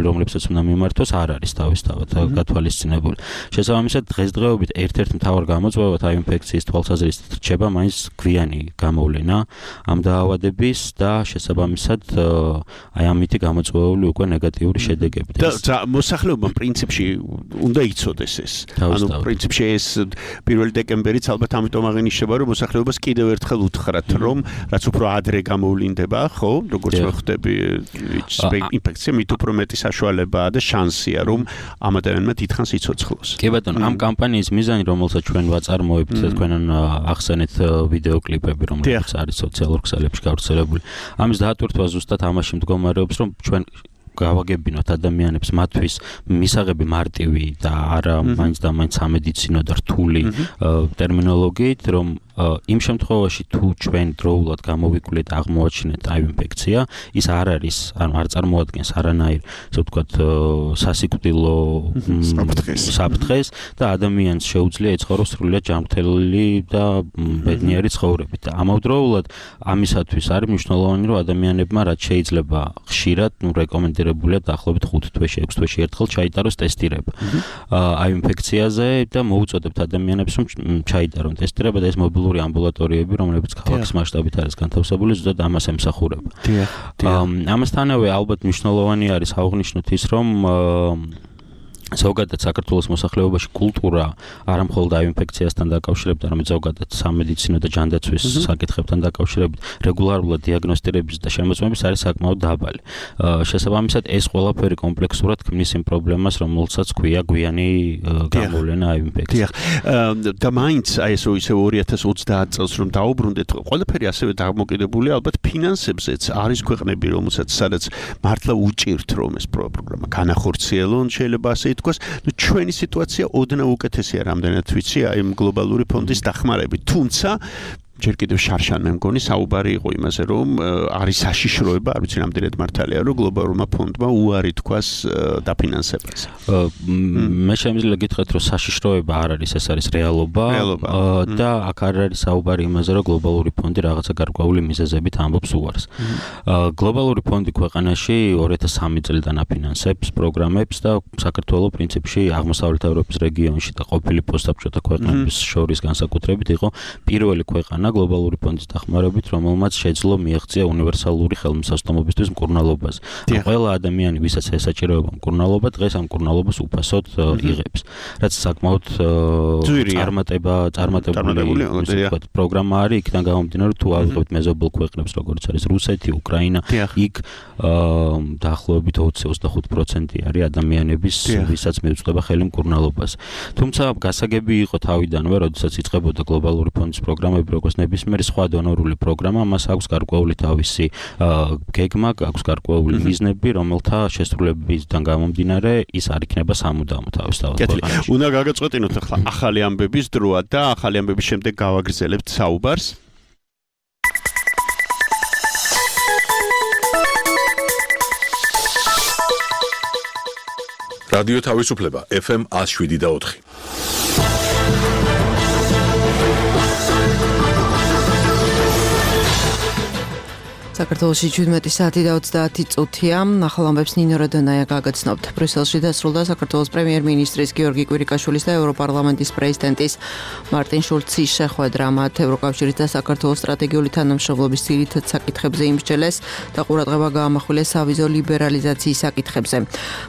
რომლებსაც უნდა მიმართოს, არ არის თავისთავად გათვალისწინებული. შესაბამისად დღესდღეობით ერთ-ერთი მთავარ გამოწვევად აი ინფექციის თვალსაზრისით რჩება მაინც გვიანი გამოვლენა ამ დაავადების და შესაბამისად აი ამითი გამოწვეული უკვე ნეგატიური შედეგები. და მოსახლეობამ პრინციპში უნდა იცოდეს ეს. ანუ პრინციპში ეს 1 დეკემბერიც ალბათ ამიტომ აღინიშნება, რომ მოსახლეობას კიდევ ერთხელ უთხრათ, რომ რაც უფრო ადრე გამოვლინდება, ხო, როგორც ვხვდები, ინფექცია მით უფრო მეტი საშუალებაა და შანსია, რომ ამ ადამიანმა დიდხანს იცოცხლოს. კი ბატონო, ამ კამპანიის მიზანი, რომელსაც ჩვენ ვაწარმოებთ, თქვენ ახსენეთ ვიდეო კლიპები, რომლებიც არის სოციალურ ქსელებში გავრცელებული. ამის დაატვირთვა ზუსტად ამაში მდგომარეობს, რომ ჩვენ გავაგებინოთ ადამიანებს მათთვის მისაღები მარტივი და არა მაინც და მაინც სამედიცინო და რთული ტერმინოლოგიით, რომ იმ შემთხვევაში თუ ჩვენ დროულად გამოვიკვლიეთ აღმოაჩინეთ აი ინფექცია, ის არ არის, ანუ არ წარმოადგენს არანაირ, ასე ვთქვათ, სასიკვდილო საფრთხეს და ადამიანს შეუძლია ეცხოვროს სრულიად ჯანმრთელი და ბედნიერი ცხოვრებით. და ამავდროულად ამისათვის არის მნიშვნელოვანი, რომ ადამიანებმა რაც შეიძლება ხშირად, რეკომენდირებულია დაახლოებით 5 თვეში, 6 თვეში ერთხელ ჩაიტაროს ტესტირება აი ინფექციაზე და მოუწოდებთ ადამიანებს, რომ ჩაიტარონ ტესტირება და ეს მობილური ამბულატორიები, რომლებიც ქალაქის მასშტაბით არის განთავსებული, ზუსტად ამას ემსახურება. ამასთანავე ალბათ მნიშვნელოვანი არის აღვნიშნოთ ის, რომ ზოგადად საქართველოს მოსახლეობაში კულტურა არა მხოლოდ აი ინფექციასთან დაკავშირებით, არამედ ზოგადად სამედიცინო და ჯანდაცვის საკითხებთან დაკავშირებით რეგულარულად დიაგნოსტირების და შემოწმების არის საკმაოდ დაბალი. შესაბამისად ეს ყველაფერი კომპლექსურად ქმნის იმ პრობლემას, რომელსაც ქვია გვიანი გამოვლენა აი ინფექცია. და მაინც აი ეს ისე 2030 წელს რომ დაუბრუნდეთ, ყველაფერი ასევე დამოკიდებულია ალბათ ფინანსებზეც. არის ქვეყნები, სადაც მართლა უჭირთ რომ ეს პროგრამა განახორციელონ, შეიძლება ასე ჩვენი სიტუაცია ოდნავ უკეთესია რამდენად ვიცი აი გლობალური ფონდის დახმარებით. თუმცა ჯერ კიდევ შარშან მე მგონი საუბარი იყო იმაზე, რომ არის საშიშროება, არ ვიცი რამდენად მართალია, რომ გლობალურმა ფონდმა უარი თქვას დაფინანსებას. მე შემიძლია გითხრათ, რომ საშიშროება არ არის, ეს არის რეალობა და აქ არ არის საუბარი იმაზე, რომ გლობალური ფონდი რაღაცა გარკვეული მიზეზებით ამბობს უარს. გლობალური ფონდი ქვეყანაში 2003 წლიდან აფინანსებს პროგრამებს და საქართველოს პრინციპში აღმოსავლეთ ევროპის რეგიონში და ყოფილი პოსტსაბჭოთა ქვეყნების შორის განსაკუთრებით იყო პირველი ქვეყანა გლობალური ფონდის დახმარებით, რომელმაც შეძლო მიაღწია უნივერსალური ხელმისაწვდომობისთვის მკურნალობას. ყველა ადამიანი, ვისაც ესაჭიროება მკურნალობა, დღეს ამ მკურნალობას უფასოდ იღებს. რაც საკმაოდ წარმატებული პროგრამა არის, იქიდან გამომდინარე, თუ ავიღებთ მეზობელ ქვეყნებს, როგორც არის რუსეთი, უკრაინა, იქ დაახლოებით 20-25% არის ადამიანების, ვისაც მიუწვდება ხელი მკურნალობას. თუმცა გასაგები იყო თავიდანვე, როდესაც იწყებოდა გლობალური ფონდის პროგრამები, როგორც ნებისმიერი სხვა დონორული პროგრამა, მას აქვს გარკვეული თავისი გეგმა, აქვს გარკვეული მიზნები, რომელთა შესრულებისგან გამომდინარე, ის არ იქნება სამუდამო თავისთავად. უნდა გაგაწყვეტინოთ ახლა ახალი ამბების დროა და ახალი ამბების შემდეგ გავაგრძელებთ საუბარს. რადიო თავისუფლება FM 107.4. საქართველოში 17 საათი და 30 წუთია. ახალ ამბებს ნინო როდონაია გაგაცნობთ. ბრიუსელში დასრულდა საქართველოს პრემიერ-მინისტრის გიორგი კვირიკაშვილის და ევროპარლამენტის პრეზიდენტის მარტინ შულცის შეხვედრა. მათ ევროკავშირის და საქართველოს სტრატეგიული თანამშრომლობის ძირითად საკითხებზე იმსჯელეს და ყურადღება გაამახვილეს სავიზო ლიბერალიზაციის საკითხებზე.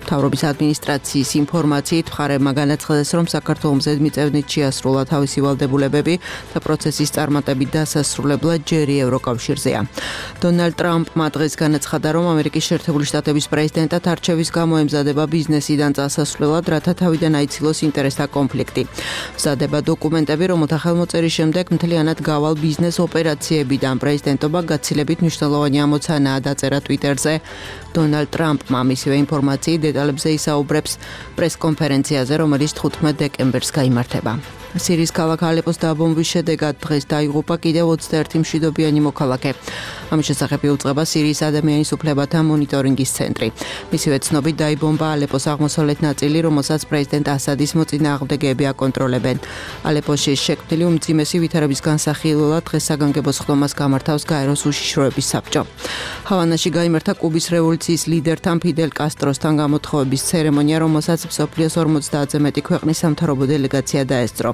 მთავრობის ადმინისტრაციის ინფორმაციით მხარეებმა განაცხადეს, რომ საქართველოს ზედმიწევნით შეასრულა თავისი ვალდებულებები და პროცესის წარმატებით დასასრულებლად ჯერი ევროკავშირზეა. დონალდ ტრამპმა დღეს განაცხადა, რომ ამერიკის შეერთებული შტატების პრეზიდენტად არჩევის გამო ემზადება ბიზნესიდან წასასვლელად, რათა თავიდან აიცილოს ინტერესთა კონფლიქტი. მზადება დოკუმენტები, რომელთა ხელმოწერის შემდეგ მთლიანად გავალ ბიზნეს ოპერაციებიდან პრეზიდენტობა გაცილებით მნიშვნელოვანი ამოცანაა დაწერა ტვიტერზე. დონალდ ტრამპმა მისივე ინფორმაციით დეტალებზე ისაუბრებს პრესკონფერენციაზე, რომელიც 15 დეკემბერს გაიმართება. სირიის ქალაქ ალეპოს დაბომბვის შედეგად დღეს დაიღუპა კიდევ 21 მშვიდობიანი მოქალაქე. ამის შესახებ იუწყება სირიის ადამიანის უფლებათა მონიტორინგის ცენტრი. მისივე ცნობით დაიბომბა ალეპოს აღმოსავლეთ ნაწილი, რომელსაც პრეზიდენტ ასადის მოწინააღმდეგეები აკონტროლებენ. ალეპოში შექმნილი უმძიმესი ვითარების განსახილველად დღეს საგანგებო სხდომას გამართავს გაეროს უშიშროების საბჭო. ჰავანაში გაიმართა კუბის რევოლუციის ლიდერთან ფიდელ კასტროსთან გამოთხოვების ცერემონია, რომელსაც მსოფლიოს 50-ზე მეტი ქვეყნის სამთავრობო დელეგაცია დაესწრო.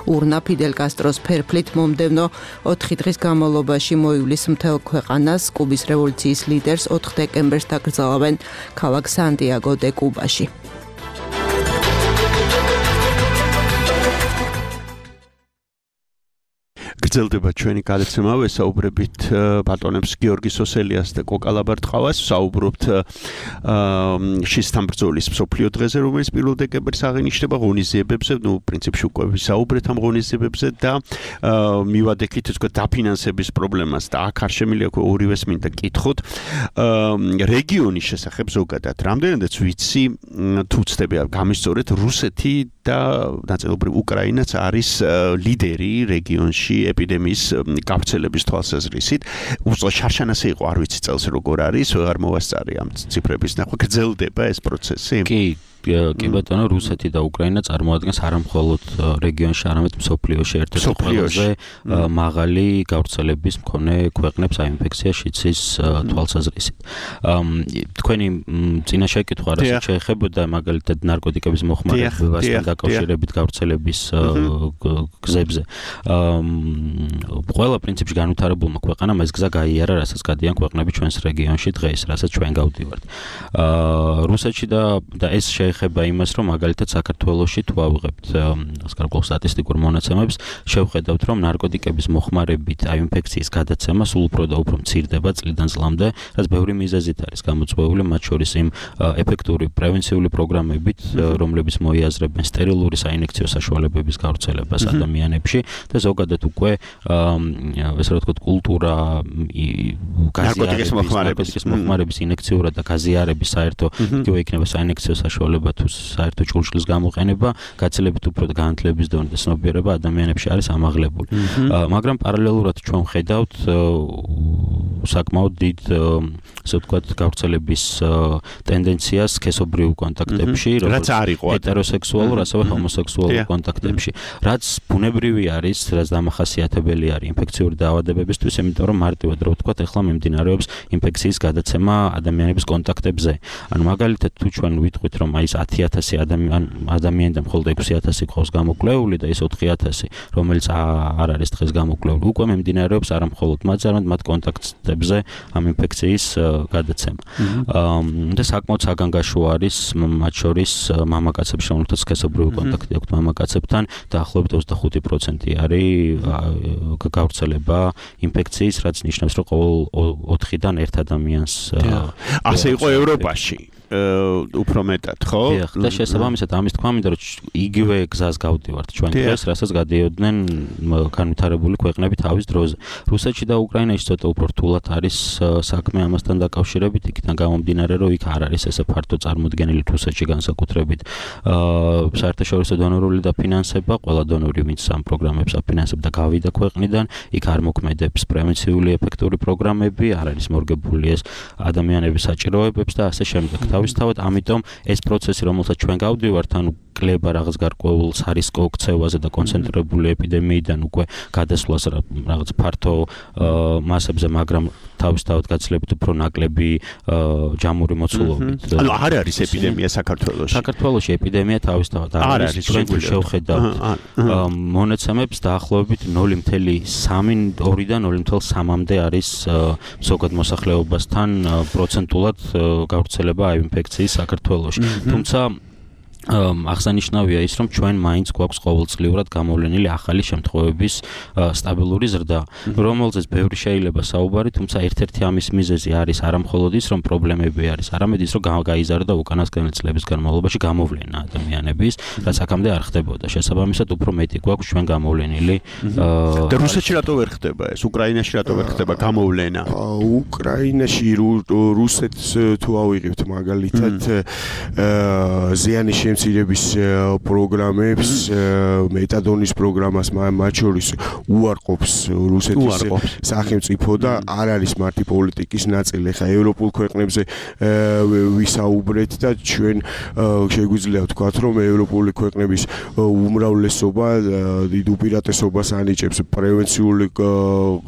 ურნა ფიდელ კასტროს ფერფლით მომდევნო 4 დღის განმავლობაში მოივლის მთელ ქვეყანას. კუბის რევოლუციის ლიდერს 4 დეკემბერს დაკრძალავენ ქალაქ სანტიაგო დე კუბაში. გრძელდება ჩვენი გადაცემა, ვესაუბრებით ბატონებს გიორგი სოსელიას და კოკა ლაბარტყავას, ვსაუბრობთ შისთან ბრძოლის მსოფლიო დღეზე, რომელიც 1 დეკემბერს აღინიშნება, ღონისძიებებზე, პრინციპში უკვე ვისაუბრეთ ამ ღონისძიებებზე და მივადექით თქო დაფინანსების პრობლემას და აქ არ შემიძლია ორივეს მინდა კითხოთ. რეგიონის შესახებ ზოგადად, რამდენადაც ვიცი, თუ ვცდები გამისწორეთ, რუსეთი და ნაწილობრივ უკრაინაც არის ლიდერი რეგიონში ეპიდემიის გავრცელების თვალსაზრისით. უბრალოდ შარშანასე იყო, არ ვიცი წელს როგორ არის, არ მოვასწარი ამ ციფრების ნახვა. გრძელდება ეს პროცესი? კი ბატონო, რუსეთი და უკრაინა წარმოადგენს არამხოლოდ რეგიონში, არამედ მსოფლიოში ერთ-ერთი ყველაზე მაღალი გავრცელების მქონე ქვეყნებს აი ინფექცია შიცის თვალსაზრისით. თქვენი წინა შეკითხვა რასაც შეეხებოდა მაგალითად ნარკოტიკების მოხმარებასთან დაკავშირებით გავრცელების გზებზე. ყველა პრინციპში განვითარებულმა ქვეყანამ ეს გზა გაიარა, რასაც გადიან ქვეყნები ჩვენს რეგიონში დღეს, რასაც ჩვენ გავდივართ. რუსეთში და ეს ეხება იმას, რომ მაგალითად საქართველოში თუ ავიღებთ სკარგულ სტატისტიკურ მონაცემებს, შევხედავთ, რომ ნარკოტიკების მოხმარებით აი ინფექციის გადაცემა სულ უფრო და უფრო მცირდება წლიდან წლამდე, რაც ბევრი მიზეზით არის გამოწვეული, მათ შორის იმ ეფექტური პრევენციული პროგრამებით, რომლებიც მოიაზრებენ სტერილური საინექციო საშუალებების გავრცელებას ადამიანებში და ზოგადად უკვე ესე რა ვთქვათ, კულტურა ნარკოტიკის მოხმარების ინექციურად და გაზიარების საერთო იგივე იქნება საინექციო საშუალება თუ საერთო ჭურჭლის გამოყენება გაცილებით უფრო განათლების დონე და ცნობიერება ადამიანებში არის ამაღლებული. მაგრამ პარალელურად ჩვენ ვხედავთ საკმაოდ დიდ ასე ვთქვათ გავრცელების ტენდენციას სქესობრივ კონტაქტებში, რაც არ იყო ჰეტეროსექსუალურ, ასევე ჰომოსექსუალურ კონტაქტებში. რაც ბუნებრივი არის, რაც დამახასიათებელი არის ინფექციური დაავადებებისთვის, იმიტომ რომ მარტივად რა ვთქვათ, ეხლა მიმდინარეობს ინფექციის გადაცემა ადამიანების კონტაქტებზე. ანუ მაგალითად თუ ჩვენ ვიტყვით, რომ აი 10,000 ადამიანიდან მხოლოდ 6,000 ყავს გამოკვლეული და ის 4,000, რომელიც არ არის დღეს გამოკვლეული, უკვე მიმდინარეობს არა მხოლოდ მათ, არამედ მათ კონტაქტებზე ამ ინფექციის გადაცემა. და საკმაოდ საგანგაშო არის მათ შორის მამაკაცებში, რომელთაც სქესობრივი კონტაქტი აქვთ მამაკაცებთან, დაახლოებით 25% არის გავრცელება ინფექციის, რაც ნიშნავს, რომ ყოველ 4-დან 1 ადამიანს ასე იყო ევროპაში. უფრო მეტად, ხო? და შესაბამისად ამის თქვა მინდა რომ იგივე გზას გავდივართ ჩვენ დღეს, რასაც გადიოდნენ განვითარებული ქვეყნები თავის დროზე. რუსეთში და უკრაინაში ცოტა უფრო რთულად არის საქმე ამასთან დაკავშირებით, იქიდან გამომდინარე, რომ იქ არ არის ესე ფართო წარმოდგენილი რუსეთში განსაკუთრებით საერთაშორისო დონორული დაფინანსება, ყველა დონორი ვინც ამ პროგრამებს აფინანსებდა გავიდა ქვეყნიდან, იქ არ მოქმედებს პრევენციული ეფექტური პროგრამები, არ არის მორგებული ეს ადამიანების საჭიროებებს და ასე შემდეგ. თავისთავად, ამიტომ ეს პროცესი, რომელსაც ჩვენ გავდივართ, ანუ კლება რაღაც გარკვეულ სარისკო ქცევაზე და კონცენტრირებული ეპიდემიიდან უკვე გადასვლას რაღაც ფართო მასებზე, მაგრამ თავისთავად გაცილებით უფრო ნაკლები ჯამური მოცულობით. ანუ არ არის ეპიდემია საქართველოში. საქართველოში ეპიდემია თავისთავად არ არის. ჩვენ შევხედავთ მონაცემებს დაახლოებით 0.3-2-დან 0.3-მდე არის ზოგად მოსახლეობასთან პროცენტულად გავრცელება აი ინფექციის საქართველოში. თუმცა აღსანიშნავია ის, რომ ჩვენ მაინც გვაქვს ყოველწლიურად გამოვლენილი ახალი შემთხვევების სტაბილური ზრდა, რომელზეც ბევრი შეიძლება საუბარი, თუმცა ერთ-ერთი ამის მიზეზი არის არამხოლოდ ის, რომ პრობლემები არის, არამედ ის, რომ გაიზარდა უკანასკნელი წლების განმავლობაში გამოვლენა ადამიანების, რაც აქამდე არ ხდებოდა. შესაბამისად, უფრო მეტი გვაქვს ჩვენ გამოვლენილი. და რუსეთში რატო ვერ ხდება ეს? უკრაინაში რატო ვერ ხდება გამოვლენა? უკრაინაში რუსეთს თუ ავიღებთ მაგალითად ზიანის მცირების პროგრამებს, მეტადონის პროგრამას მათ შორის უარყოფს რუსეთის სახელმწიფო და არ არის მარტი პოლიტიკის ნაწილი. ხა ევროპულ ქვეყნებზე ვისაუბრეთ და ჩვენ შეგვიძლია ვთქვათ, რომ ევროპული ქვეყნების უმრავლესობა დიდ უპირატესობას ანიჭებს პრევენციული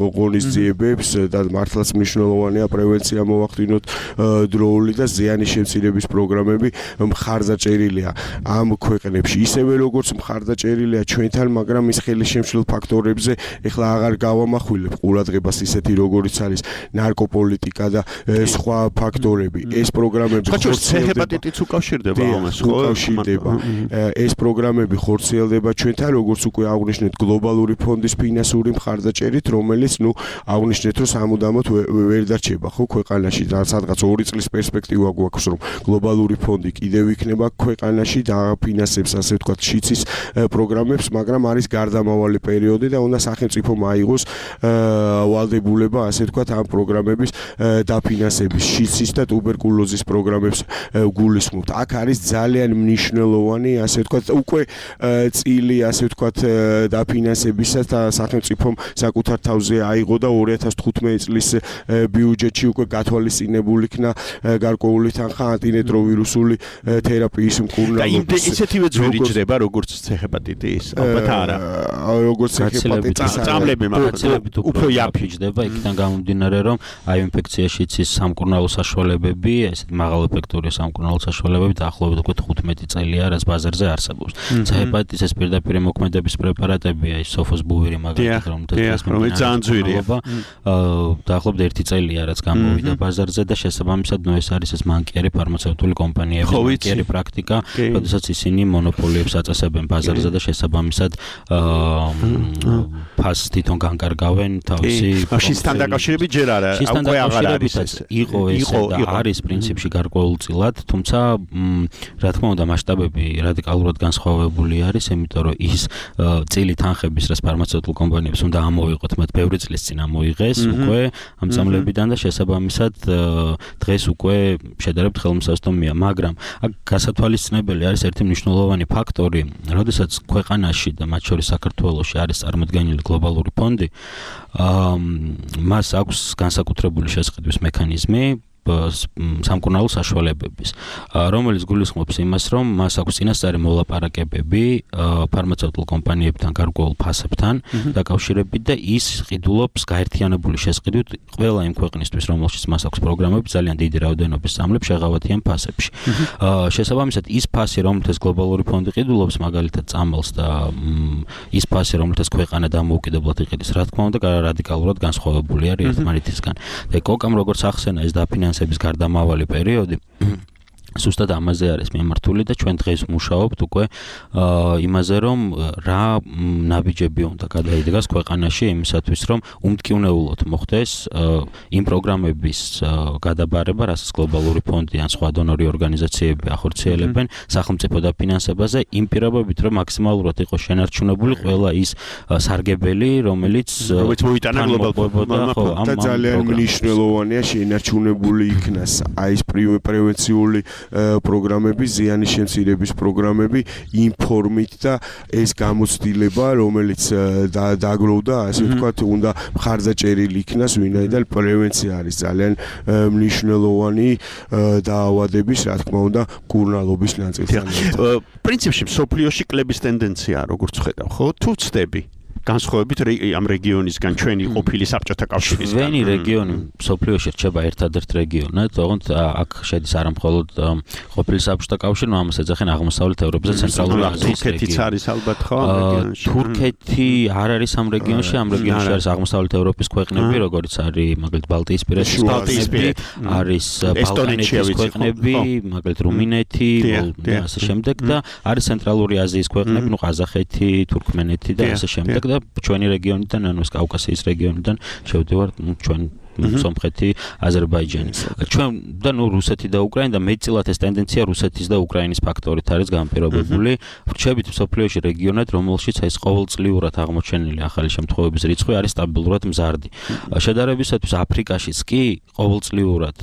ღონისძიებებს და მართლაც მნიშვნელოვანია პრევენცია მოვახდინოთ დროული და ზიანის შემცირების პროგრამები მხარდაჭერილია ამ ქვეყნებში ისევე როგორც მხარდაჭერილია ჩვენთან, მაგრამ ის ხელისშემშლელ ფაქტორებზე ეხლა აღარ გავამახვილებ ყურადღებას ისეთი როგორიც არის ნარკოპოლიტიკა და სხვა ფაქტორები. ეს პროგრამები ჰეპატიტიც უკავშირდება ამას, ხო? უკავშირდება. ეს პროგრამები ხორციელდება ჩვენთან, როგორც უკვე აღვნიშნეთ, გლობალური ფონდის ფინანსური მხარდაჭერით, რომელიც აღვნიშნეთ, რომ სამუდამოდ ვერ დარჩება, ხო, ქვეყანაში და სადღაც 2 წლის პერსპექტივა გვაქვს, რომ გლობალური ფონდი კიდევ იქნება ქვეყანაში დააფინანსებს, ასე ვთქვათ, შიცის პროგრამებს, მაგრამ არის გარდამავალი პერიოდი და უნდა სახელმწიფომ აიღოს ვალდებულება, ასე ვთქვათ, ამ პროგრამების დაფინანსების, შიცის და ტუბერკულოზის პროგრამებს გულისხმობთ. აქ არის ძალიან მნიშვნელოვანი, ასე ვთქვათ, უკვე წილი, ასე ვთქვათ, დაფინანსებისა და სახელმწიფომ საკუთარ თავზე აიღო და 2015 წლის ბიუჯეტში უკვე გათვალისწინებული იქნა გარკვეული თანხა ანტირეტროვირუსული თერაპიის მკურნალობის. და ისეთივე ძვირი ჯდება, როგორც ჰეპატიტის, ალბათ არა. როგორც ჰეპატიტის წამლები მაგალითად უფრო იაფი ჯდება, იქიდან გამომდინარე, რომ აი ინფექციაში იცის სამკურნალო საშუალებები, ესეთ მაღალეფექტური სამკურნალო საშუალებები დაახლოებით უკვე 15 წელია, რაც ბაზარზე არსებობს. ჰეპატიტის პირდაპირ მოქმედების პრეპარატებია, ის სოფოსბუვირი მაგალითად, რომელიც ძალიან ძვირია. დაახლოებით 1 წელია, რაც გამოვიდა ბაზარზე და შესაბამისად ეს არის ეს მანკიერი ფარმაცევტული კომპანიების მანკიერი პრაქტიკა, როდესაც ისინი მონოპოლიებს აწესებენ ბაზარზე და შესაბამისად ფასს თვითონ განკარგავენ თავისი. შისთან დაკავშირებით ჯერ არა, უკვე აღარ არის ეს. იყო და არის პრინციპში გარკვეულწილად, თუმცა რა თქმა უნდა მასშტაბები რადიკალურად განსხვავებული არის, იმიტომ რომ ის წილი თანხების, რაც ფარმაცევტულ კომპანიებს უნდა ამოიღოთ, მათ ბევრი წლის წინ ამოიღეს უკვე ამ წამლებიდან და შესაბამისად დღეს უკვე შედარებით ხელმისაწვდომია, მაგრამ აქ გასათვალისწინებელი არის ერთი მნიშვნელოვანი ფაქტორი, როდესაც ქვეყანაში და მათ შორის საქართველოში არის წარმოდგენილი გლობალური ფონდი, მას აქვს განსაკუთრებული შესყიდვის მექანიზმი სამკურნალო საშუალებების, რომელიც გულისხმობს იმას, რომ მას აქვს წინასწარი მოლაპარაკებები ფარმაცევტულ კომპანიებთან გარკვეულ ფასებთან დაკავშირებით და ის ყიდულობს გაერთიანებული შესყიდვით ყველა იმ ქვეყნისთვის, რომელშიც მას აქვს პროგრამები ძალიან დიდი რაოდენობის სამლებს შეღავათიან ფასებში. შესაბამისად, ის ფასი, რომელთაც გლობალური ფონდი ყიდულობს, მაგალითად წამალს და ის ფასი, რომელთაც ქვეყანა დამოუკიდებლად იყიდის, რა თქმა უნდა, რადიკალურად განსხვავებული არის ერთმანეთისგან. და კოკამ როგორც ახსენა ეს დაფინანსების გარდამავალი პერიოდი ზუსტად ამაზე არის მიმართული და ჩვენ დღეს მუშაობთ უკვე იმაზე, რომ რა ნაბიჯები უნდა გადაიდგას ქვეყანაში იმისათვის, რომ უმტკივნეულოდ მოხდეს იმ პროგრამების გადაბარება, რასაც გლობალური ფონდი ან სხვა დონორი ორგანიზაციები ახორციელებენ სახელმწიფო დაფინანსებაზე, იმ პირობებით, რომ მაქსიმალურად იყოს შენარჩუნებული ყველა ის სარგებელი, რომელიც მოიტანა გლობალურ და ძალიან მნიშვნელოვანია შენარჩუნებული იქნას აი ეს პრევენციული პროგრამები, ზიანის შემცირების პროგრამები, ინფორმით და ეს გამოცდილება, რომელიც დაგროვდა, ასე ვთქვათ, უნდა მხარდაჭერილი იქნას, ვინაიდან პრევენცია არის ძალიან მნიშვნელოვანი დაავადების, რა თქმა უნდა, მკურნალობის ნაწილთან. პრინციპში სოფლიოში კლების ტენდენცია როგორც ხედავ, ხო? თუ ვწდები განსხვავებით ამ რეგიონისგან ჩვენი ყოფილი საბჭოთა კავშირისგან. ჩვენი რეგიონი სოფლიოში რჩება ერთადერთ რეგიონად, თუმც აქ შედის არა მხოლოდ ყოფილი საბჭოთა კავშირი, ამას ეძახიან აღმოსავლეთ ევროპის და ცენტრალური აზიის რეგიონი. თურქეთიც არის ალბათ ხო ამ რეგიონში. თურქეთი არ არის ამ რეგიონში, ამ რეგიონში არის აღმოსავლეთ ევროპის ქვეყნები, როგორც არის მაგალითად ბალტიისპირეთის ქვეყნები, არის ბალკანეთის ქვეყნები, მაგალითად რუმინეთი, და ასე შემდეგ და არის ცენტრალური აზიის ქვეყნები, ნუ ყაზახეთი, თურქმენეთი და ასე შემდეგ და ჩვენი რეგიონიდან, ანუ კავკასიის რეგიონიდან შევდივართ ჩვენ სომხეთი, აზერბაიჯანი. ჩვენ და ნუ რუსეთი და უკრაინა და მეტწილად ეს ტენდენცია რუსეთის და უკრაინის ფაქტორით არის განპირობებული. ვრჩებით მსოფლიოში რეგიონად, რომელშიც ეს ყოველწლიურად აღმოჩენილი ახალი შემთხვევების რიცხვი არის სტაბილურად მზარდი. შედარებისათვის აფრიკაშიც კი ყოველწლიურად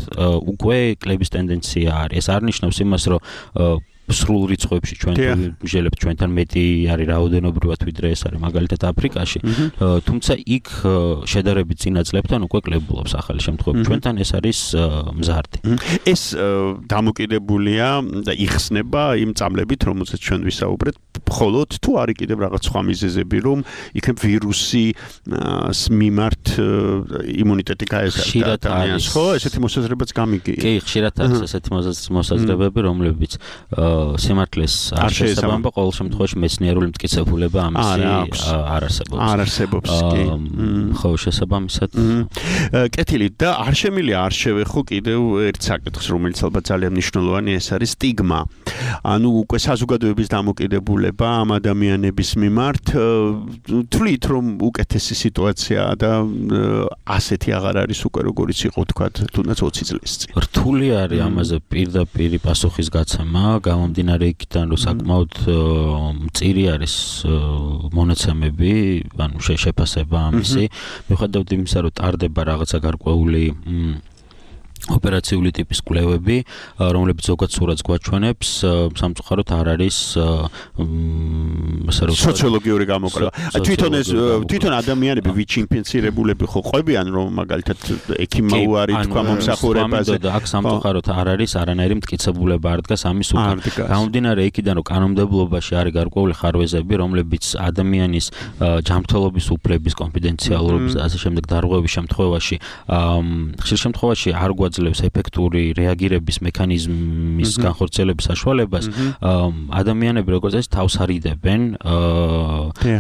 უკვე კლების ტენდენცია არის. ეს არ ნიშნავს იმას, რომ სრულ რიცხვებში ჩვენ ვიმჟელებთ ჩვენთან მეტი არის რაოდენობრივად ვიდრე ეს არის მაგალითად აფრიკაში, თუმცა იქ შედარებით წინა წლებთან უკვე კლებულობს ახალი შემთხვევები. ჩვენთან ეს არის მზარდი. ეს დამოკიდებულია და იხსნება იმ წამლებით, რომელზეც ჩვენ ვისაუბრეთ, მხოლოდ თუ არის კიდევ რაღაც სხვა მიზეზები, რომ იქნებ ვირუსის მიმართ იმუნიტეტი გაეზარდა ადამიანს, ხო? ესეთი მოსაზრებაც გამიგია. კი, ხშირად არის ესეთი მოსაზრებები, რომლებიც სიმართლეს არ შესაბამება, ყოველ შემთხვევაში მეცნიერული მტკიცებულება ამისი არ არსებობს. არ არსებობს, კი. ხო, შესაბამისად. კეთილი და არ შემილია არ შევეხო კიდევ ერთ საკითხს, რომელიც ალბათ ძალიან მნიშვნელოვანი, ეს არის სტიგმა. ანუ უკვე საზოგადოების დამოკიდებულება ამ ადამიანების მიმართ, თვლით რომ უკეთესი სიტუაციაა და ასეთი აღარ არის უკვე როგორიც იყო თქვა თუნდაც 20 წლის წინ. რთული არის ამაზე პირდაპირ პასუხის გაცემა, გამომდინარე იქიდან, რომ საკმაოდ მწირი არის მონაცემები, ანუ შეფასება ამისი. მიუხედავად იმისა, რომ ტარდება რაღაცა გარკვეული ოპერაციული ტიპის კვლევები, რომლებიც ზოგად სურათს გვაჩვენებს, სამწუხაროდ არ არის სოციოლოგიური გამოკვლევა. თვითონ ადამიანები ვიჩ ინფიცირებულები ხო ყვებიან, რომ მაგალითად ექიმაუარი თქვა მომსახურებაზე. აქ სამწუხაროდ არ არის არანაირი მტკიცებულება არ დგას ამის უკან. გამომდინარე იქიდან, რომ კანონმდებლობაში არის გარკვეული ხარვეზები, რომლებიც ადამიანის ჯანმრთელობის უფლების, კონფიდენციალურობის და ასე შემდეგ დარღვევის შემთხვევაში, ხშირ შემთხვევაში არ გვაძლევს ეფექტური რეაგირების მექანიზმის განხორციელების საშუალებას, ადამიანები როგორც ეს თავს არიდებენ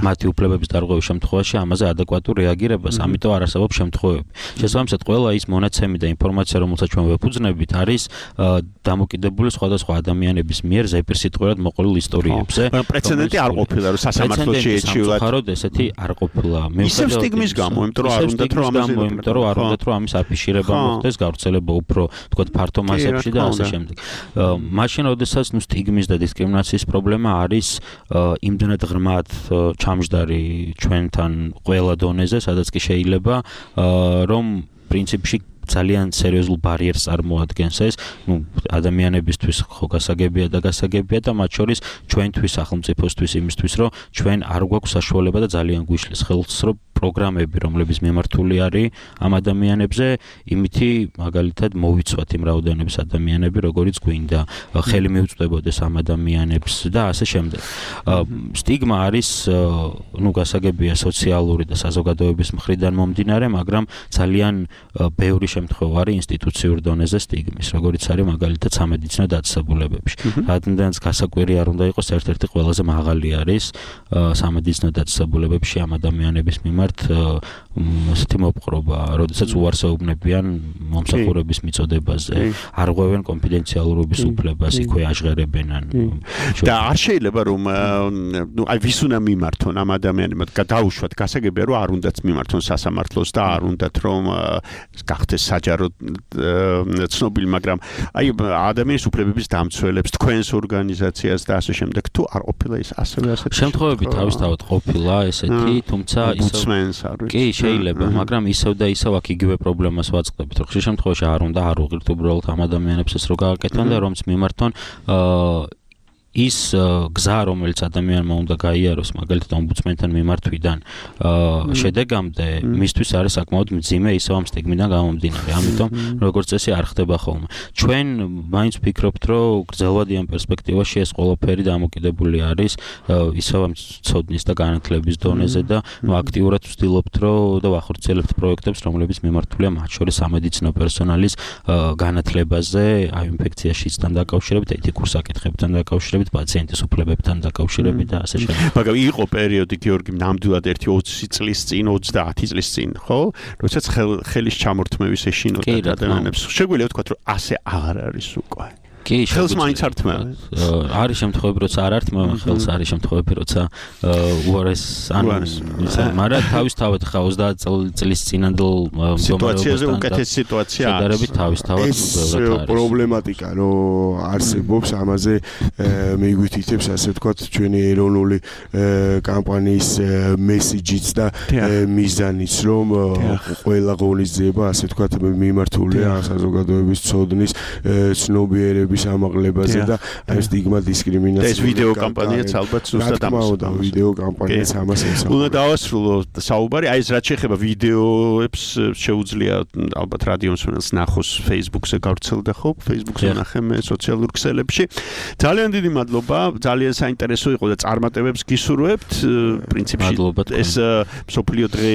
მათი უფლებების დარღვევის შემთხვევაში ამაზე ადეკვატურ რეაგირებას, ამიტომ არ არსებობს შემთხვევები. შესაბამისად, ყველა ის მონაცემი და ინფორმაცია, რომელსაც ჩვენ ვეფუძნებით, არის დამოკიდებული სხვადასხვა ადამიანების მიერ ზეპირსიტყვიერად მოყოლილ ისტორიებზე. პრეცედენტი არ ყოფილა, რომ სასამართლოში ეჩივლად. სამწუხაროდ ესეთი არ ყოფილა. ისევ სტიგმის გამო, იმიტომ რომ არ უნდათ რომ ამის აფიშირება მოხდეს, გავრცელება უფრო თქვათ ფართო მასებში და ასე შემდეგ. მაშინ, როდესაც სტიგმის და დისკრიმინაციის პრობლემა არის იმდენად ღრმად ჩამჯდარი ჩვენთან ყველა დონეზე, სადაც კი შეიძლება რომ პრინციპში ძალიან სერიოზულ ბარიერს წარმოადგენს ეს, ადამიანებისთვის ხო გასაგებია და მათ შორის ჩვენთვის სახელმწიფოსთვის იმისთვის, რომ ჩვენ არ გვაქვს საშუალება და ძალიან გვიშლის ხელს, რომ პროგრამები, რომლებიც მიმართული არის ამ ადამიანებზე, იმითი მაგალითად მოვიცვათ იმ რაოდენობის ადამიანები, როგორიც გვინდა, ხელი მიუწვდებოდეს ამ ადამიანებს და ასე შემდეგ. სტიგმა არის, გასაგებია სოციალური და საზოგადოების მხრიდან მომდინარე, მაგრამ ძალიან ბევრი შემთხვევა არის ინსტიტუციურ დონეზე სტიგმის, როგორიც არის მაგალითად სამედიცინო დაწესებულებებში. რადგანაც გასაკვირი არ უნდა იყოს, ერთ-ერთი ყველაზე მაღალი არის სამედიცინო დაწესებულებებში ამ ადამიანების მიმართ ასეთი მოპყრობა, როდესაც უარსეუბნებიან მომსახურების მიწოდებაზე, არ ღვევენ კონფიდენციალურობის უფლებას, იქვე აჟღერებენ. და არ შეიძლება რომ აი ვის უნდა მიმართონ ამ ადამიანებმა, დაუშვათ გასაგებია რომ არ უნდათ მიმართონ სასამართლოს და არ უნდათ რომ გახდეს საჯარო ცნობილი, მაგრამ აი ადამიანის უფლებების დამცველებს, თქვენს ორგანიზაციას და ასე შემდეგ, თუ არ ყოფილა ის ასევე ასეთი შემთხვევები თავისთავად ყოფილა ესეთი, თუმცა ისევ ხსმენს არ ვიცი. კი, შეიძლება, მაგრამ ისევ და ისევ აქ იგივე პრობლემას ვაწყდებით, რომ ხშირ შემთხვევაში არ უნდა არ უღირთ უბრალოდ ამ ადამიანებს ეს რო გააკეთონ და რომც მიმართონ ის გზა, რომელიც ადამიანმა უნდა გაიაროს, მაგალითად ომბუდსმენთან მიმართვიდან შედეგამდე, მისთვის არის საკმაოდ მძიმე ისევ ამ სტიგმიდან გამომდინარე. ამიტომ როგორც წესი არ ხდება ხოლმე. ჩვენ მაინც ვფიქრობთ, რომ გრძელვადიან პერსპექტივაში ეს ყველაფერი დამოკიდებული არის ისევ ამ ცოდნის და განათლების დონეზე და აქტიურად ვცდილობთ, რომ და ვახორციელებთ პროექტებს, რომლებიც მიმართულია მათ შორის სამედიცინო პერსონალის განათლებაზე, აი ინფექციაშისთან დაკავშირებით, ეთიკურ საკითხებთან დაკავშირებით, პაციენტის უფლებებთან დაკავშირებით და ასე შემდეგ. მაგრამ იყო პერიოდი გიორგი ნამდვილად 20 წლის წინ, 30 წლის წინ, ხო? როდესაც ხელის ჩამორთმევის ეშინოდა ადამიანებს. შეგვიძლია ვთქვათ, რომ ასე აღარ არის უკვე. კი, ხელს მაინც არ თმევენ. არის შემთხვევები, როცა არ ართმევენ ხელს, არის შემთხვევები, როცა უარეს მაგრამ თავისთავად ხა 30 წლის წინანდელ სიტუაციაზე უკეთესი სიტუაცია არის. შედარებით თავისთავად ბევრად არის. პრობლემატიკა, რომ არსებობს, ამაზე მიგვითითებს, ასე ვთქვათ, ჩვენი ეროვნული კამპანიის მესიჯიც და მიზანიც, რომ ყველა ღონისძიება, ასე ვთქვათ, მიმართულია საზოგადოების ცოდნის ცნობიერების ამაღლებაზე და აი სტიგმა დისკრიმინაცია. ეს ვიდეო კამპანიაც ალბათ ზუსტად ამასა. ვიდეო კამპანიაც ამას ემსახურება. უნდა დავასრულო საუბარი, აი ეს რაც შეეხება ვიდეოებს შეუძლია ალბათ რადიო მსმენელს ნახოს Facebook-ზე გავრცელდა ხო? Facebook-ზე ნახე მე სოციალურ ქსელებში. ძალიან დიდი მადლობა, ძალიან საინტერესო იყო და წარმატებებს გისურვებთ. პრინციპში ეს მსოფლიო დღე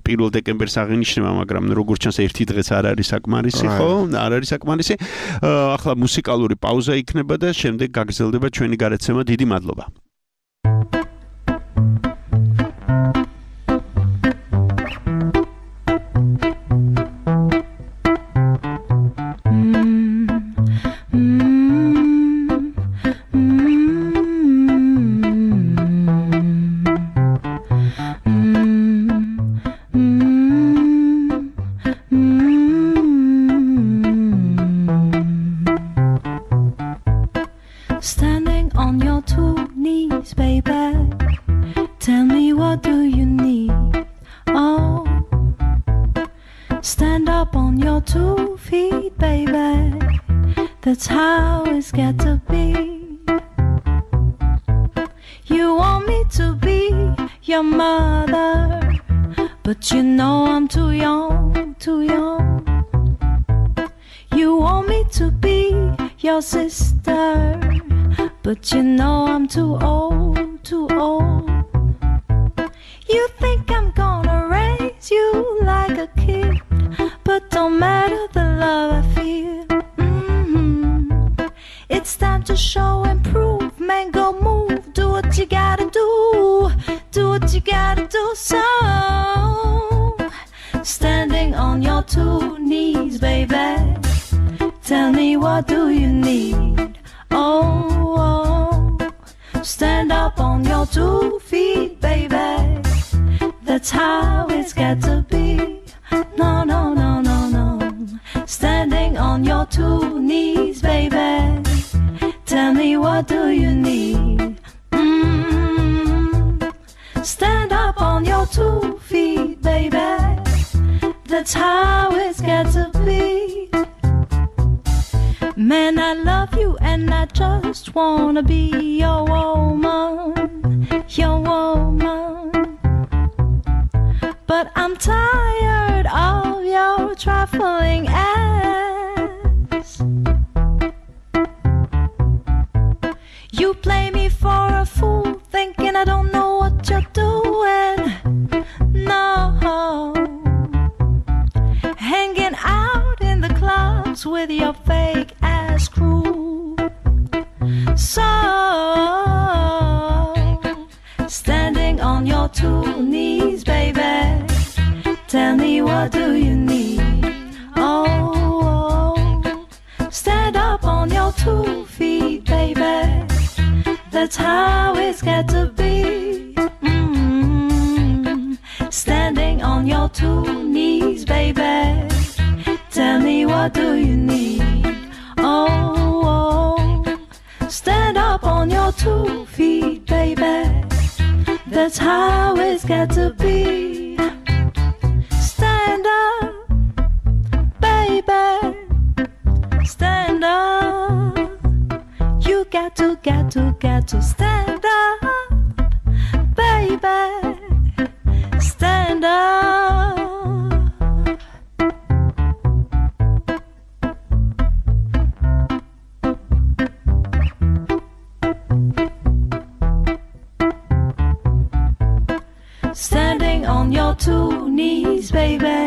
1 დეკემბერს აღინიშნება, მაგრამ როგორც ჩანს ერთი დღეც არ არის საკმარისი, ხო? არ არის საკმარისი. ახლა მუსიკალური პაუზა იქნება და შემდეგ გაგრძელდება ჩვენი გარეთცემა. დიდი მადლობა. Standing on your 2 knees, baby. Tell me, what do you need? Oh, stand up on your 2 feet, baby. That's how it's got to be. You want me to be your mother, but you know I'm too young, too young. You want me to be your sister, but you know I'm too old, too old. You think I'm gonna raise you like a kid, but don't matter the love I feel. It's time to show and prove, man, go move, do what you gotta do, do what you gotta do. So, standing on your 2 knees, baby, tell me, what do you need? Oh, stand up on your 2 feet, baby. That's how it's got to be. No, no, no, no, no. Standing on your 2 knees, baby. Tell me, what do you need? Stand up on your 2 feet, baby. That's how it's got to be. Man, I love you and I just wanna be your woman, your woman. But I'm tired of your trifling acts. You play me for a fool, thinking I don't know what you're doing. No, hanging out in the clubs with your fake ass crew. So, standing on your 2 knees, baby, tell me, what do you need? Oh, stand up on your 2 feet, baby. That's how it's got to be. Standing on your 2 knees, baby. Tell me, what do you need? Oh, stand up on your 2 feet, baby. That's how it's got to be. knees, baby.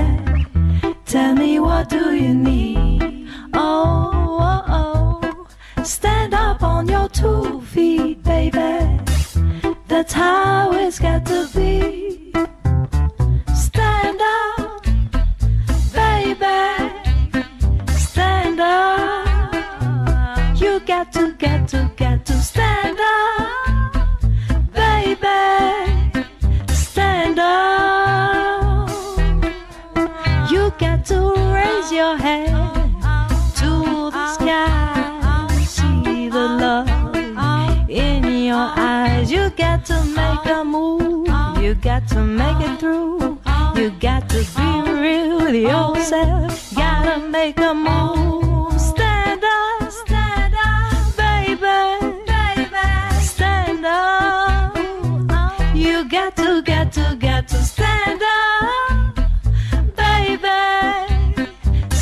Tell me what do you need? Oh, oh, oh. Stand up on your 2 feet, baby. That's how it's got to be. Stand up, baby. Stand up. You got to stand up, baby. Stand up. You got to raise your head to the sky. See the love in your eyes. You got to make a move. You got to make it through. You got to be real with yourself. Gotta make a move. Stand up, baby. Stand up. You got to stand up, baby.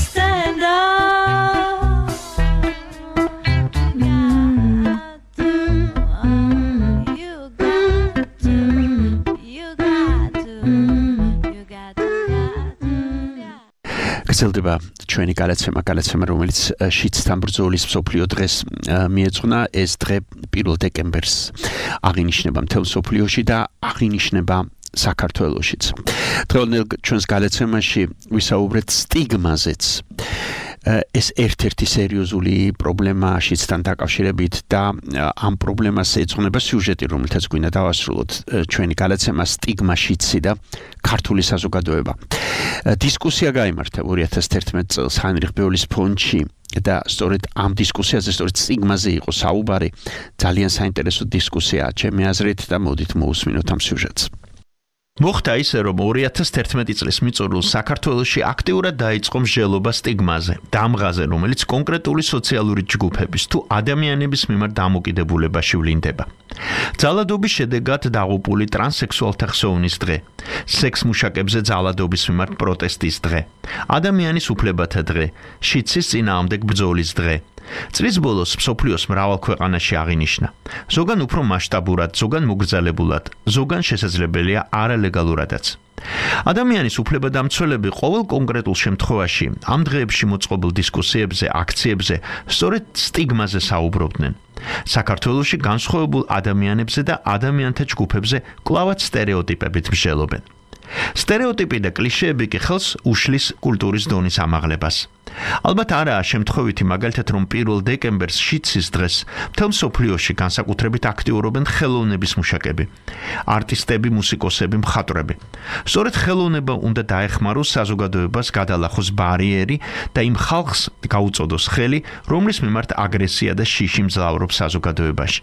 Stand up. გრძელდება ჩვენი გადაცემა, რომელიც შიდსთან ბრძოლის მსოფლიო დღეს მიეძღვნა. ეს დღე 1 დეკემბერს აღინიშნება მთელ მსოფლიოში და აღინიშნება საქართველოშიც. დღევანდელ ჩვენს გადაცემაში ვისაუბრეთ სტიგმაზეც. ეს ერთ-ერთი სერიოზული პრობლემა შიდსთან დაკავშირებით და ამ პრობლემას ეძღვნება სიუჟეტი, რომელთაც გვინდა დავასრულოთ ჩვენი გადაცემა სტიგმა შიდსი და ქართული საზოგადოება. დისკუსია გაიმართა 2011 წელს ჰაინრიხ ბეოლის ფონდში და სწორედ ამ დისკუსიაზე, სწორედ სტიგმაზე იყო საუბარი. ძალიან საინტერესო დისკუსია, ჩემი აზრით და მოდით მოусმინოთ ამ სიუჟეტს. მოხდა ისე, რომ 2011 წლის მიწურულს საქართველოში აქტიურად დაიწყო მსჯელობა სტიგმაზე, დამღაზე, რომელიც კონკრეტული სოციალური ჯგუფების თუ ადამიანების მიმართ დამოკიდებულებაში ვლინდება. ძალადობის შედეგად დაღუპული ტრანსსექსუალთა ხსოვნის დღე, სექსმუშაკებზე ძალადობის მიმართ პროტესტის დღე, ადამიანის უფლებათა დღე, შიდსის წინააღმდეგ ბრძოლის დღე. წლის ბოლოს მსოფლიოს მრავალ ქვეყანაში აღინიშნა. ზოგან უფრო მასშტაბურად, ზოგან მოგრძალებულად, ზოგან შესაძლებელია არალეგალურადაც. ადამიანის უფლებადამცველები ყოველ კონკრეტულ შემთხვევაში ამ დღეებში მოწყობილ დისკუსიებზე, აქციებზე სწორედ სტიგმაზე საუბრობდნენ. საქართველოში განსხვავებულ ადამიანებზე და ადამიანთა ჯგუფებზე კლავაც სტერეოტიპებით მსჯელობენ. სტერეოტიპი და კლიშეები კი ხელს უშლის კულტურის დონის ამაღლებას. ალბათ არაა შემთხვევითი მაგალითად, რომ 1 დეკემბერს შიდსის დღეს მთელ მსოფლიოში განსაკუთრებით აქტიურობენ ხელოვნების მუშაკები, არტისტები, მუსიკოსები, მხატვრები. სწორედ ხელოვნება უნდა დაეხმაროს საზოგადოებას გადალახოს ბარიერი და იმ ხალხს გაუწოდოს ხელი, რომლის მიმართ აგრესია და შიში მძლავრობს საზოგადოებაში.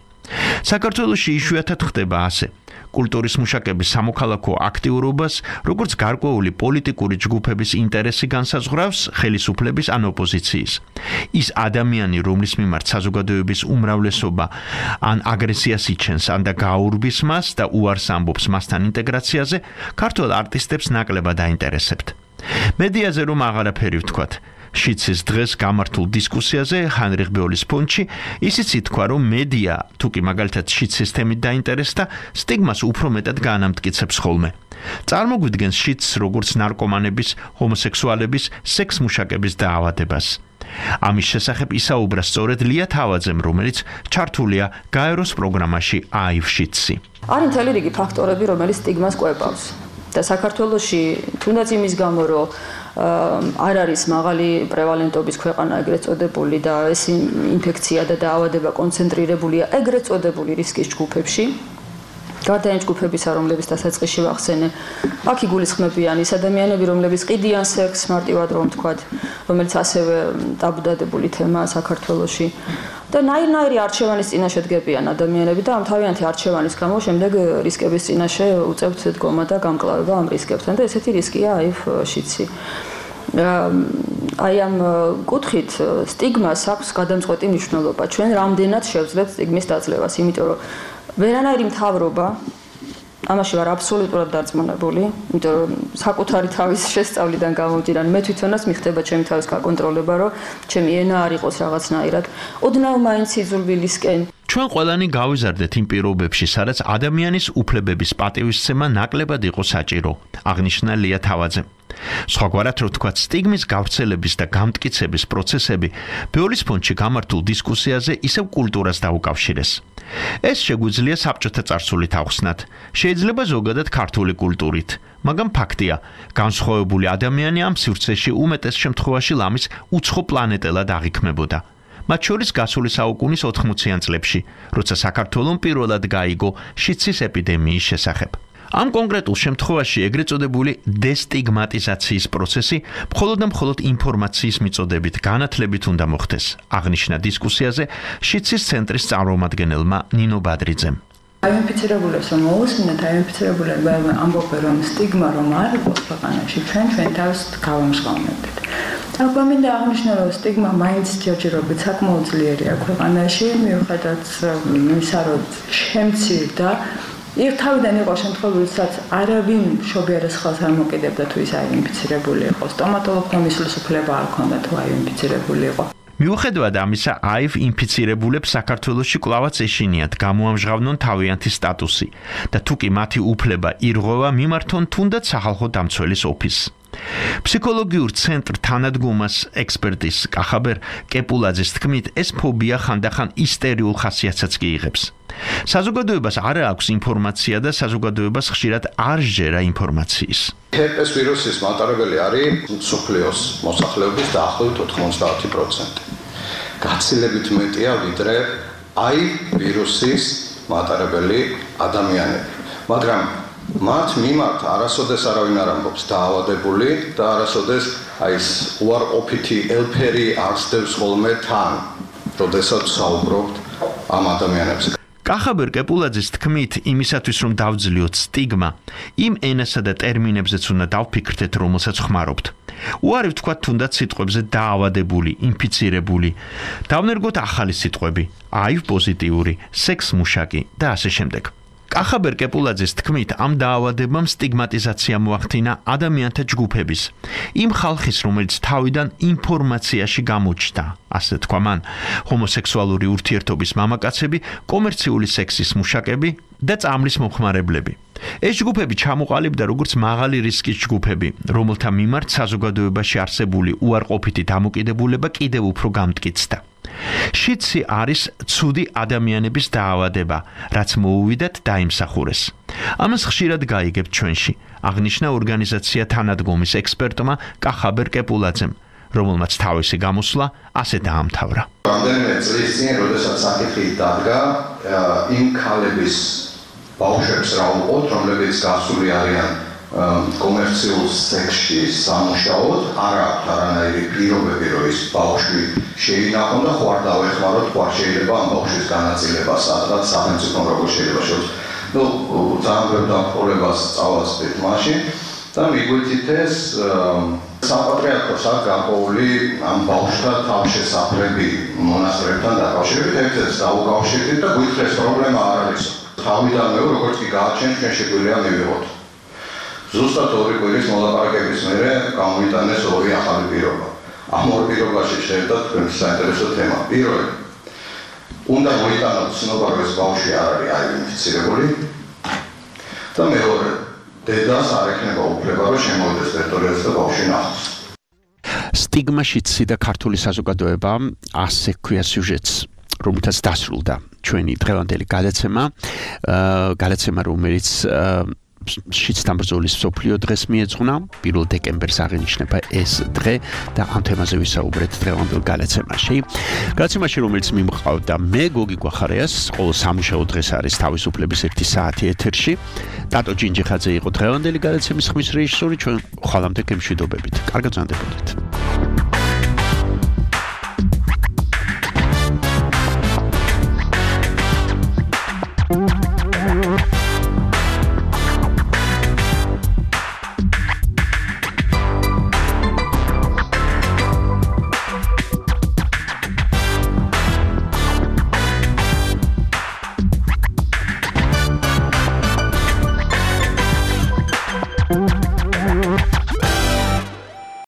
საქართველოში იშვიათად ხდება ასე. კულტურის მუშაკების სამოქალაქო აქტიურობას, როგორც გარკვეული პოლიტიკური ჯგუფების ინტერესი განსაზღვრავს ხელისუფლების ან ოპოზიციის. ის ადამიანი, რომლის მიმართ საზოგადოების უმრავლესობა ან აგრესიას იჩენს, ან და გაურბის მას და უარს ამბობს მასთან ინტეგრაციაზე, ქართველ არტისტებს ნაკლებად აინტერესებთ. მედიაზე რომ აღარაფერი ვთქვათ. შიდსის დღეს გამართულ დისკუსიაზე ჰაინრიხ ბეოლის ფონდში ისიც ითქვა, რომ მედია თუ კი მაგალითად შიდსის თემით დაინტერესდა, სტიგმას უფრო მეტად განამტკიცებს ხოლმე. წარმოგვიდგენს შიდსს როგორც ნარკომანების, ჰომოსექსუალების, სექსმუშაკების დაავადებას. ამის შესახებ ისაუბრა სწორედ ლია თავაძემ, რომელიც ჩართულია გაეროს პროგრამაში აივ შიდსი. არის მთელი რიგი ფაქტორები, რომელიც სტიგმას კვებავს. და საქართველოში თუნდაც იმის გამო, რომ არ არის მაღალი პრევალენტობის ქვეყანა ეგრეთ წოდებული და ეს ინფექცია და დაავადება კონცენტრირებულია ეგრეთ წოდებული რისკის ჯგუფებში. გარდა იმ ჯგუფებისა, რომლებიც დასაწყისში ვახსენე, აქ იგულისხმებიან ის ადამიანები, რომლებიც ყიდიან სექსს, მარტივად რომ ვთქვათ, რომელიც ასევე ტაბუდადებული თემაა საქართველოში. და ნაირ-ნაირი არჩევანის წინაშე დგებიან ადამიანები და ამ თავიანთი არჩევანის გამო შემდეგ რისკების წინაშე უწევთ დგომა და გამკლავება ამ რისკებთან და ესეთი რისკია აივ შიდსი. აი ამ კუთხით სტიგმას აქვს გადამწყვეტი მნიშვნელობა. ჩვენ რამდენად შევძლებთ სტიგმის დაძლევას, იმიტომ რომ ვერანაირი მთავრობა ამაში ვარ აბსოლუტურად დარწმუნებული, იმიტომ რომ საკუთარი თავის შესწავლიდან გამომდინარე, მე თვითონაც მიხდება ჩემი თავის გაკონტროლება, რომ ჩემი ენა არ იყოს რაღაცნაირად. ოდნავ მაინც იძულვილისკენ ჩვენ ყველანი გავიზარდეთ იმ პირობებში, სადაც ადამიანის უფლებების პატივისცემა ნაკლებად იყო საჭირო, აღნიშნა ლია თავაძემ. სხვაგვარად რო თქვათ, სტიგმის გავრცელების და გამტკიცების პროცესები ბეოლის ფონდში გამართულ დისკუსიაზე ისევ კულტურას დაუკავშირეს. ეს შეგვიძლია საბჭოთა წარსულით ახსნათ, შეიძლება ზოგადად ქართული კულტურით, მაგრამ ფაქტია, განსხვავებული ადამიანი ამ სივრცეში უმეტეს შემთხვევაში ლამის უცხო პლანეტელად აღიქმებოდა. მათ შორის გასული საუკუნის 80-იან წლებში, როცა საქართველოს პირველად გაიგო შიცის ეპიდემიის შესახებ. ამ კონკრეტულ შემთხვევაში ეგრეთ წოდებული დესტიგმატიზაციის პროცესი მხოლოდ და მხოლოდ ინფორმაციის მიწოდებით განათლებით უნდა მოხდეს, აღნიშნა დისკუსიაზე შიცის ცენტრის წარმომადგენელმა ნინო ბადრიძემ. აინფიცირებულებს რომ მოусმინოთ, აინფიცირებულები ამბობენ რომ სტიგმა რომ არ იყოს ქვეყანაში, ჩვენ თავს გავამჟღავნებთ. ალბათ მინდა აღნიშნო, რომ სტიგმა მაინც ჯერჯერობით საკმაოდ ძლიერია ქვეყანაში, მიუხედავად იმისა, რომ შემცირდა. თავიდან იყო შემთხვევები, სადაც არავინ მშობიარეს ხელს არ მოკიდებდა თუ ის აინფიცირებული იყო. სტომატოლოგმა მისვლის უფლება არ ჰქონდა თუ აინფიცირებული იყო. მიუხედავად ამისა, აივ ინფიცირებულებს საქართველოში კვლავაც ეშინიათ გამოამჟღავნონ თავიანთი სტატუსი და თუკი მათი უფლება ირღვევა, მიმართონ თუნდაც სახალხო დამცველის ოფისს. ფსიქოლოგიურ ცენტრ თანადგომას ექსპერტის კახაბერ კეპულაძის თქმით, ეს ფობია ხანდახან ისტერიულ ხასიათსაც კი იღებს. საზოგადოებას არ აქვს ინფორმაცია და საზოგადოებას ხშირად არ სჯერა ინფორმაციის. ჰერპეს ვირუსის მატარებელი არის მსოფლიოს მოსახლეობის დაახლოებით 90%. გაცილებით მეტია ვიდრე ვირუსის მატარებელი ადამიანები. მაგრამ მათ მიმართ არასოდეს არავინ არ ამბობს დაავადებული და არასოდეს ეს უარყოფითი ელფერი არსდევს ხოლმე თან, როდესაც საუბრობთ ამ ადამიანებზე. კახაბერ კეპულაძის თქმით, იმისათვის რომ დავძლიოთ სტიგმა, იმ ენასა და ტერმინებზეც უნდა დავფიქრდეთ, რომელსაც ხმარობთ. უარი ვთქვათ თუნდაც სიტყვებზე დაავადებული, ინფიცირებული. დავნერგოთ ახალი სიტყვები, აივ პოზიტიური, სექს მუშაკი და ასე შემდეგ. კახაბერ კეპულაძის თქმით, ამ დაავადებამ სტიგმატიზაცია მოახდინა ადამიანთა ჯგუფების, იმ ხალხის, რომელიც თავიდან ინფორმაციაში გამოჩნდა, ასე თქვა მან, ჰომოსექსუალური ურთიერთობის მამაკაცები, კომერციული სექსის მუშაკები და წამლის მომხმარებლები. ეს ჯგუფები ჩამოყალიბდა როგორც მაღალი რისკის ჯგუფები, რომელთა მიმართ საზოგადოებაში არსებული უარყოფითი დამოკიდებულება კიდევ უფრო გამტკიცდა. შიცი არის ცუდი ადამიანების დაავადება, რაც მოუვიდათ დაიმსახურეს. ამას ხშირად გაიგებთ ჩვენში, აღნიშნა ორგანიზაცია თანადგომის ექსპერტმა კახაბერ კეპულაძემ, რომელმაც თავისი გამოსვლა ასე დაამთავრა. რამდენიმე წლის წინ, როდესაც საკითხი დადგა, იმ ქალების ბავშვებს რა უყოთ, რომლებიც გასული არიან კომერციულ სექსში სამუშაოდ, არ აქვს არანაირი პირობები, რომ ის ბავშვი შეინახონ და ხო არ დავეხმაროთ, ხო არ შეიძლება ამ ბავშვის განაწილება, სადღაც სახელმწიფო როგორ შეიძლება შევს. ძალიან ბევრ დამხმარებას წავასწრეთ მაშინ და მიგვიწით ეს საპატრიარქოს აქ გაყოლი ამ ბავშვთა თავშესაფრები მონასტრებთან დაკავშირებით, ერთ-ერთს დაუკავშირდით და გვითხრეს პრობლემა არ არის. თავიდანვე როგორც კი გააჩენთ, ჩვენ შეგვიძლია მივიღოთ. ზუსტად 2 კვირის მოლაპარაკების მერე გამოვიტანეს 2 ახალი პირობა. ამ 2 პირობაში შეერთდა თქვენს საინტერესო თემა. პირველი, უნდა მოიტანოთ ცნობა, რომ ეს ბავშვი არ არის ინფიცირებული და მეორე, დედას არ ექნება უფლება, რომ შემოვიდეს ტერიტორიაზე და ბავშვი ნახოს. სტიგმაშიცი და ქართული საზოგადოება ასე ქვია სიუჟეტს, რომელთაც დასრულდა ჩვენი დღევანდელი გადაცემა, რომელიც შიცთან ბრძოლის მსოფლიო დღეს მიეძღვნა, 1 დეკემბერს აღინიშნება ეს დღე და ამ თემაზე ვისაუბრეთ დღევანდელ გადაცემაში. გადაცემაში, რომელიც მიმყავდა მე გოგი გვახარიას, ყოველ სამუშაო დღეს არის თავისუფლების 1 საათი ეთერში. ტატო ჯინჯიხაძე იყო დღევანდელი გადაცემის ხმის რეჟისორი, ჩვენ ხვალამდე გემშვიდობებით. კარგად ზანდებოდეთ.